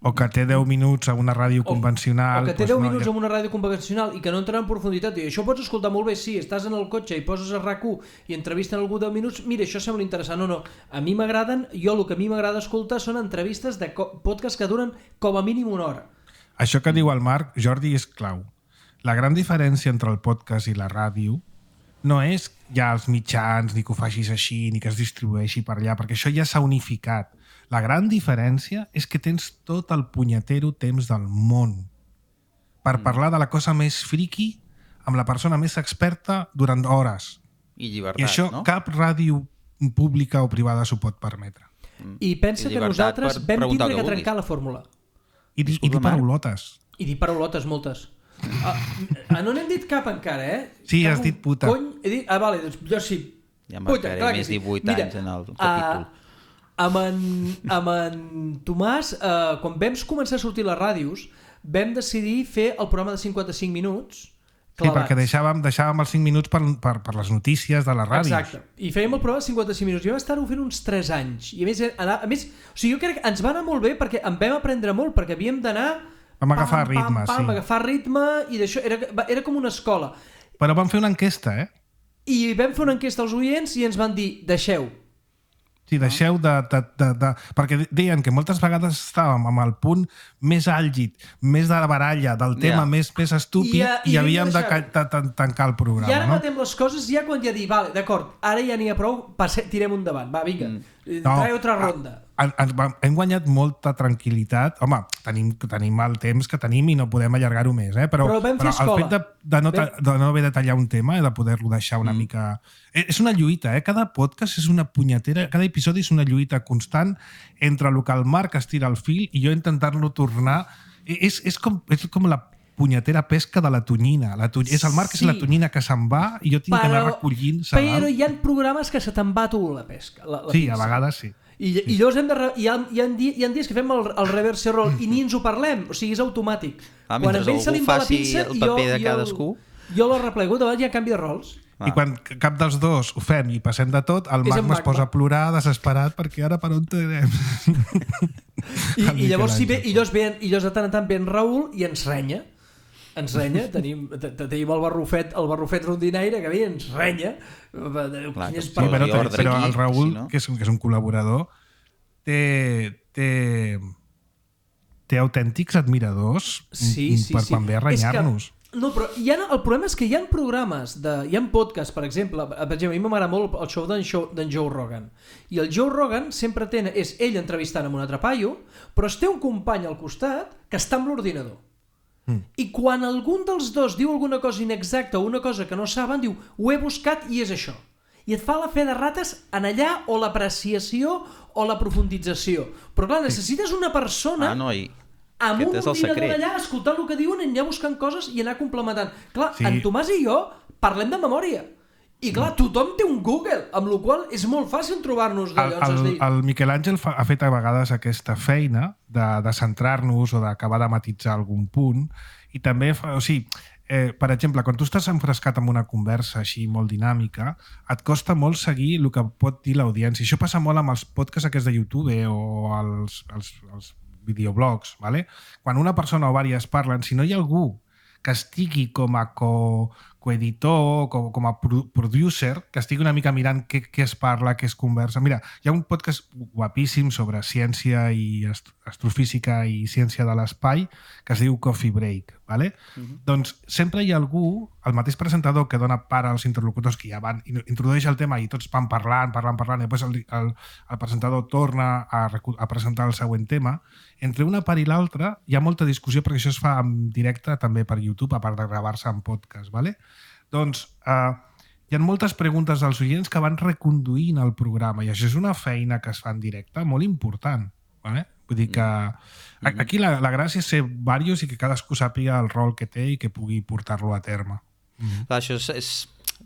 O que té deu minuts a una ràdio o, convencional... O que té doncs deu no, minuts ja... a una ràdio convencional i que no entrarà en profunditat. I això ho pots escoltar molt bé, sí, estàs en el cotxe i poses a RAC u i entrevisten algú deu minuts, mira, això sembla interessant. No, no, a mi m'agraden, jo el que a mi m'agrada escoltar són entrevistes de podcast que duren com a mínim una hora. Això que diu el Marc, Jordi, és clau. La gran diferència entre el podcast i la ràdio no és ja els mitjans, ni que ho facis així, ni que es distribueixi per allà, perquè això ja s'ha unificat. La gran diferència és que tens tot el punyetero temps del món per mm. parlar de la cosa més friqui amb la persona més experta durant hores. I llibertat, I això no? cap ràdio pública o privada s'ho pot permetre. Mm. I pensa I que nosaltres vam tindre que, que trencar la fórmula. I, i, i dir paraulotes. I dir paraulotes, moltes. Ah, no n'hem dit cap encara, eh? Sí, has dit puta. Cony, he dit... Ah, vale, doncs jo sí. Ja marcaré puta, més divuit Mira, anys en el capítol. Uh, amb, en, amb en Tomàs, uh, quan vam començar a sortir les ràdios, vam decidir fer el programa de cinquanta-cinc minuts clavats. Sí, perquè deixàvem, deixàvem els cinc minuts per, per, per les notícies de les ràdios. Exacte. I fèiem el programa de cinquanta-cinc minuts. I vam estar-ho fent uns tres anys. I a més, a més, o sigui, jo crec que ens va anar molt bé perquè en vam aprendre molt, perquè havíem d'anar... Vam agafar pam, ritme, pam, pam, sí. agafar ritme i d'això era, era com una escola. Però vam fer una enquesta, eh? I vam fer una enquesta als oients i ens van dir, deixeu. Sí, deixeu de, de, de, de... Perquè deien que moltes vegades estàvem amb el punt més àlgid, més de la baralla, del tema yeah. més, més estúpid, I, a, i, i havíem de, de, de, de tancar el programa. I ara no? matem les coses ja quan ja dir, vale, d'acord, ara ja n'hi ha prou, passe, tirem endavant, va, vinga, mm. no, trae otra ronda. A, a, a, hem guanyat molta tranquil·litat. Home, tenim, tenim el temps que tenim i no podem allargar-ho més, eh? però, però, però el fet de, de, no, vam... de no haver de tallar un tema i de poder-lo deixar una mm. mica... És una lluita, eh? Cada podcast és una punyetera, cada episodi és una lluita constant entre el que el Marc estira el fil i jo intentar-lo tornar... És, és, com, és com la punyetera pesca de la tonyina. La tony... És el Marc sí. és la tonyina que se'n va i jo tinc però, que anar recollint. Però hi ha programes que se te'n va tu la pesca. La, la sí, pinça. A vegades sí. I, sí. i llavors hem de re... hi, ha, hi, ha di... hi ha dies que fem el, el reverse roll i ni ens ho parlem, o sigui, és automàtic. Ah, quan a ell se li va la pinça, el paper jo, de cadascú. Jo, jo la replego, davant hi ha canvi de rols. Ah. I quan cap dels dos ho fem i passem de tot, el Magma es posa a plorar desesperat perquè ara per on tenem? I, i llavors si ve, i llavors, ve, i llavors de tant en tant ve en Raül i ens renya. Ens renya, tenim, tenim el barrufet, el barrufet rondinaire que ve i ens renya. Clar, sí, però, però el Raül, si no? que, és, que és un col·laborador, té, té té autèntics admiradors sí, sí, per sí. quan ve a renyar-nos. No, però hi ha, el problema és que hi ha programes, de, hi ha podcasts, per exemple, per exemple, a mi m'agrada molt el show d'en Joe Rogan, i el Joe Rogan sempre té, és ell entrevistant amb un altre paio, però es té un company al costat que està amb l'ordinador. Mm. I quan algun dels dos diu alguna cosa inexacta o una cosa que no saben, diu, ho he buscat i és això. I et fa la fe de rates en allà o l'apreciació o la profundització. Però clar, necessites una persona... Ah, no, i... amb Aquest un és el ordinador secret. allà, escoltant el que diuen, anar buscant coses i anar complementant. Clar, Sí. en Tomàs i jo parlem de memòria. I clar, tothom té un Google, amb la qual és molt fàcil trobar-nos El, d'allò. el, dir... el Miquel Àngel fa, ha fet a vegades aquesta feina de, de centrar-nos o d'acabar de matitzar algun punt, i també fa, o sigui, eh, per exemple, quan tu estàs enfrescat en una conversa així molt dinàmica, et costa molt seguir el que pot dir l'audiència. Això passa molt amb els podcasts aquests de YouTube o els, els, els videoblogs, ¿vale? Quan una persona o vàries parlen, si no hi ha algú que estigui com a co, coeditor, com, com a pro, producer, que estigui una mica mirant què, què es parla, què es conversa. Mira, hi ha un podcast guapíssim sobre ciència i ast astrofísica i ciència de l'espai que es diu Coffee Break, ¿vale? Uh-huh. Doncs sempre hi ha algú, el mateix presentador que dona part als interlocutors que ja van, introdueix el tema i tots van parlant, parlant, parlant, i després el, el, el presentador torna a, a presentar el següent tema. Entre una part i l'altra hi ha molta discussió perquè això es fa en directe també per YouTube, a part de gravar-se en podcast, ¿vale? Doncs eh, hi ha moltes preguntes dels oients que van reconduint el programa i això és una feina que es fa en directe molt important, ¿vale? Vull dir que aquí la, la gràcia és ser diversos i que cadascú sàpiga el rol que té i que pugui portar-lo a terme. Mm-hmm. Clar, això és, és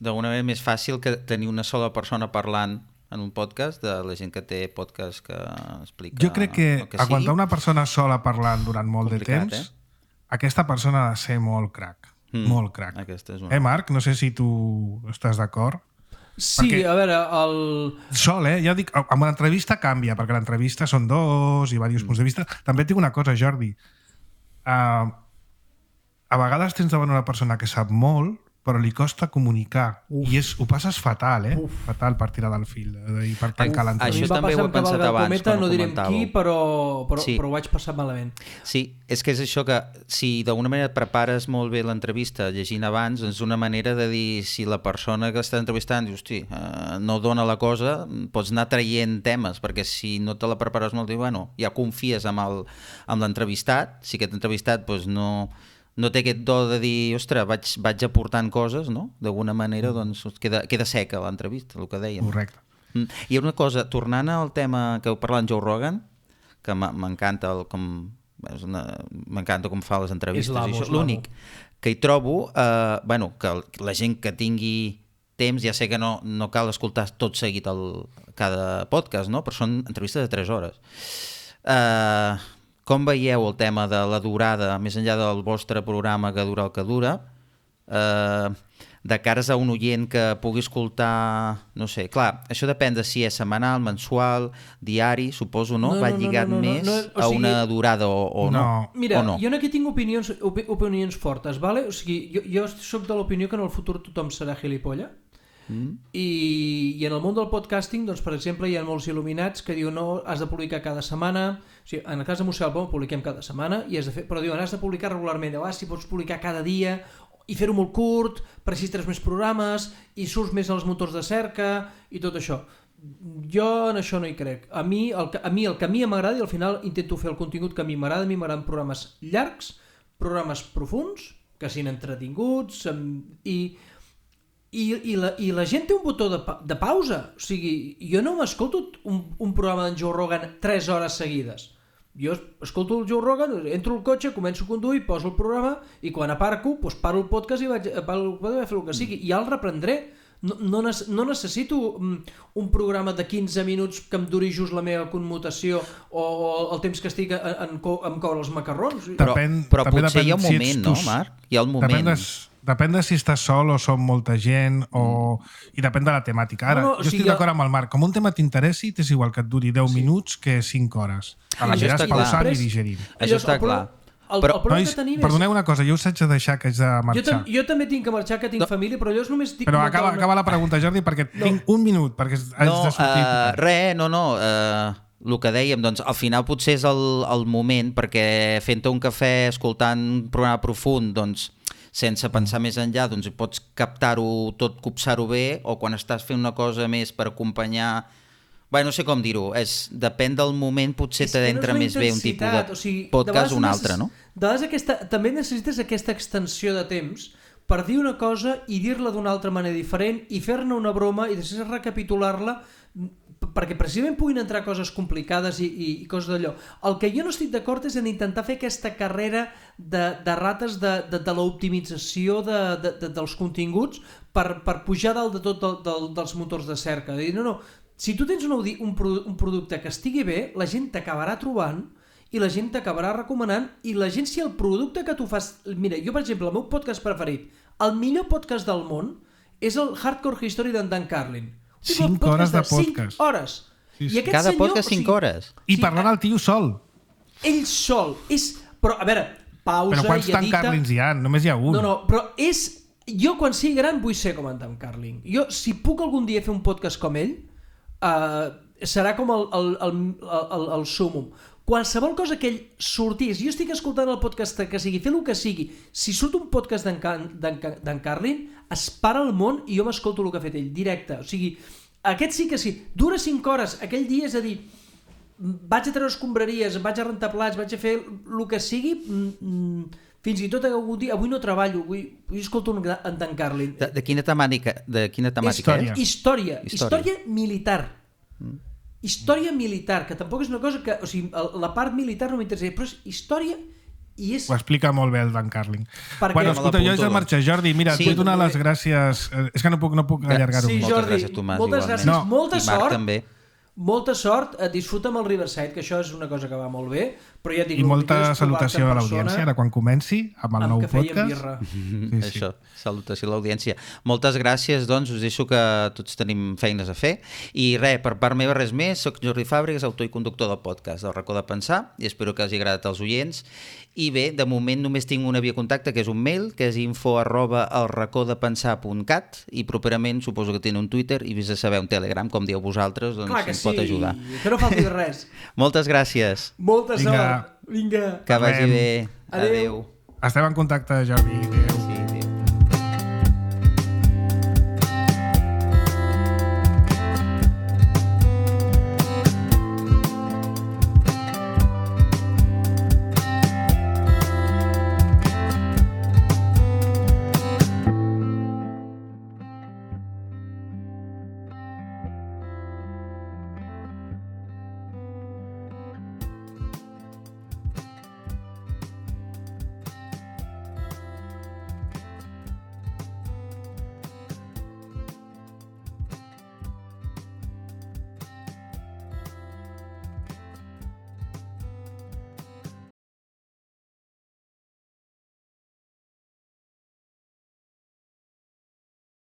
d'alguna manera més fàcil que tenir una sola persona parlant en un podcast de la gent que té podcast que explica... Jo crec que, que aguantar una persona sola parlant durant molt complicat, de temps, eh? aquesta persona ha de ser molt crac. Mm. Molt crac. Aquesta és una... Eh, Marc? No sé si tu estàs d'acord. Sí, perquè... a veure, el... Sol, eh? Ja dic, amb una entrevista canvia, perquè l'entrevista són dos i diversos mm. punts de vista. També et dic una cosa, Jordi. Uh, a vegades tens davant una persona que sap molt, però li costa comunicar. Uf. I és, ho passes fatal, eh? Uf. Fatal per tirar del fil i per tancar l'entrevista. Això també ho he pensat abans, cometa, quan ho no direm comentàveu. qui, però, però, sí. però ho vaig passar malament. Sí, és que és això que si d'alguna manera et prepares molt bé l'entrevista llegint abans, és una manera de dir si la persona que està entrevistant diu, hosti, eh, no dona la cosa, pots anar traient temes, perquè si no te la prepares molt, diu, bueno, ja confies amb el, amb l'entrevistat, si aquest entrevistat doncs, no... no té aquest do de dir, ostres, vaig, vaig aportant coses, no? D'alguna manera, doncs, queda, queda seca l'entrevista, el que dèiem. Correcte. Mm. I una cosa, tornant al tema que heu parlat amb Joe Rogan, que m'encanta el com... m'encanta com fa les entrevistes. L'únic que hi trobo, eh, bueno, que la gent que tingui temps, ja sé que no, no cal escoltar tot seguit el, cada podcast, no? Però són entrevistes de tres hores. Eh... Com veieu el tema de la durada, més enllà del vostre programa que dura el que dura, eh, de cares a un oient que pugui escoltar, no sé, clar, això depèn de si és setmanal, mensual, diari, suposo, no? no Va no, lligat no, no, no, més no, no, o a sigui, una durada o, o no. no. Mira, o no. jo aquí tinc opinions, opi opinions fortes, vale? O sigui, jo, jo soc de l'opinió que en el futur tothom serà gilipolla. Mm. I, i en el món del podcasting, doncs, per exemple, hi ha molts il·luminats que diuen no, has de publicar cada setmana. O sigui, en el cas de Museu del Pom publiquem cada setmana, i has de fer, però diuen has de publicar regularment. Ah, si pots publicar cada dia i fer-ho molt curt, per així tres més programes i surts més als motors de cerca i tot això. Jo en això no hi crec. A mi el que a mi, el que a mi m'agrada, i al final intento fer el contingut que a mi m'agrada, a mi m'agraden programes llargs, programes profuns, que siguin entretinguts, i I, i, la, i la gent té un botó de, pa de pausa. O sigui, jo no m'escolto un, un programa d'en Joe Rogan tres hores seguides. Jo escolto el Joe Rogan, entro al cotxe, començo a conduir, poso el programa i quan aparco, doncs paro el podcast i vaig, vaig a fer el que sigui. I ja el reprendré. No, no, no necessito un programa de quinze minuts que em duri just la meva commutació o el temps que estic en, en, en coure els macarrons. Però, depèn, però també potser hi ha un si moment, tu, no, Marc? Hi ha un moment... Depèn de, depèn de si estàs sol o som molta gent o... i depèn de la temàtica. Ara, no, no, jo estic sigui, d'acord amb el Marc. Com un tema t'interessi, t'és igual que et duri deu sí. minuts que cinc hores. A la Això aniràs està pausant clar. i digerint. Això està clar. El, però, el problema nois, que tenim és... perdoneu una cosa, jo us haig de deixar que haig de marxar. Jo, tam jo també tinc que marxar, que tinc no. família, però jo només dic... Però acaba, una... acaba la pregunta, Jordi, perquè no. tinc un minut perquè haig no, de sortir. Uh, res, no, no. Uh, el que dèiem, doncs al final potser és el, el moment, perquè fent-te un cafè, escoltant un programa profund, doncs sense pensar més enllà, doncs pots captar-ho tot, copsar-ho bé, o quan estàs fent una cosa més per acompanyar... Bé, no sé com dir-ho, és, depèn del moment, potser t'adentra no més bé un tipus de o sigui, podcast o un necess... altre, no? De vegades aquesta... també necessites aquesta extensió de temps per dir una cosa i dir-la d'una altra manera diferent i fer-ne una broma i després recapitular-la perquè precisament puguin entrar coses complicades i, i, i coses d'allò. El que jo no estic d'acord és en intentar fer aquesta carrera de, de rates de, de, de l'optimització de, de, de, dels continguts per, per pujar dalt de tot del, del, dels motors de cerca. Dir, no, no, si tu tens un, audi, un, un producte que estigui bé, la gent t'acabarà trobant i la gent t'acabarà recomanant i la gent, si el producte que tu fas... Mira, jo, per exemple, el meu podcast preferit, el millor podcast del món, és el Hardcore History d'en Dan Carlin. cinc hores de podcast. cinc hores. Sí, sí. I aquest Cada senyor, podcast cinc o sigui, hores. I sí, parlant al tio sol. Ell sol. És... Però, a veure, pausa Però quants i Dan edita... Carlins hi ha? Només hi ha un. No, no, però és... Jo, quan sigui gran, vull ser com en Dan Carlin. Jo, si puc algun dia fer un podcast com ell, uh, serà com el, el, el, el, el súmum. Qualsevol cosa que ell sortís, jo estic escoltant el podcast que sigui, fer el que sigui, si surt un podcast d'en Carlin, es para el món i jo m'escolto el que ha fet ell, directe. O sigui, aquest sí que sí. Dura cinc hores, aquell dia, és a dir, vaig a treure escombraries, vaig a rentar plats, vaig a fer el que sigui, fins i tot algun dia, avui no treballo, avui, avui escolto un, en Dan Carlin. De, de quina temàtica, de quina temàtica Història. és? Història. Història. Història militar. Mm. Història militar, que tampoc és una cosa que... O sigui, la part militar no m'interessa, però és història i és... Ho explica molt bé el Dan Carlin. Per Bueno, què? escolta, jo haig de marxar. Jordi, mira, Sí. et vull donar les gràcies. Eh, És que no puc, no puc allargar-ho Sí, més. Moltes Jordi, gràcies, Tomàs, moltes igualment. gràcies. No. Molta I Marc sort. també. Molta sort, eh, disfruta amb el Riverside, que això és una cosa que va molt bé, però ja et dic, I el molta millor és trobar-te salutació en a persona l'audiència, ara quan comenci, amb el amb nou cafè i amb podcast. birra. Sí, sí. Això, salutació a l'audiència. Moltes gràcies, doncs, us deixo que tots tenim feines a fer. I res, per part meva res més, soc Jordi Fàbregas, autor i conductor del podcast del Racó de Pensar, i espero que hagi agradat als oients. I bé, de moment només tinc una via de contacte, que és un mail, que és info arroba elracodepensar punt cat, i properament suposo que tenen un Twitter i vés a saber un Telegram, com dieu vosaltres, doncs Clar que ens pot sí, ajudar. que no falti de res. Moltes gràcies. Molta Vinga. sort. Vinga. Que vagi Parlem. bé. Adéu. Adéu. Estem en contacte, Jordi.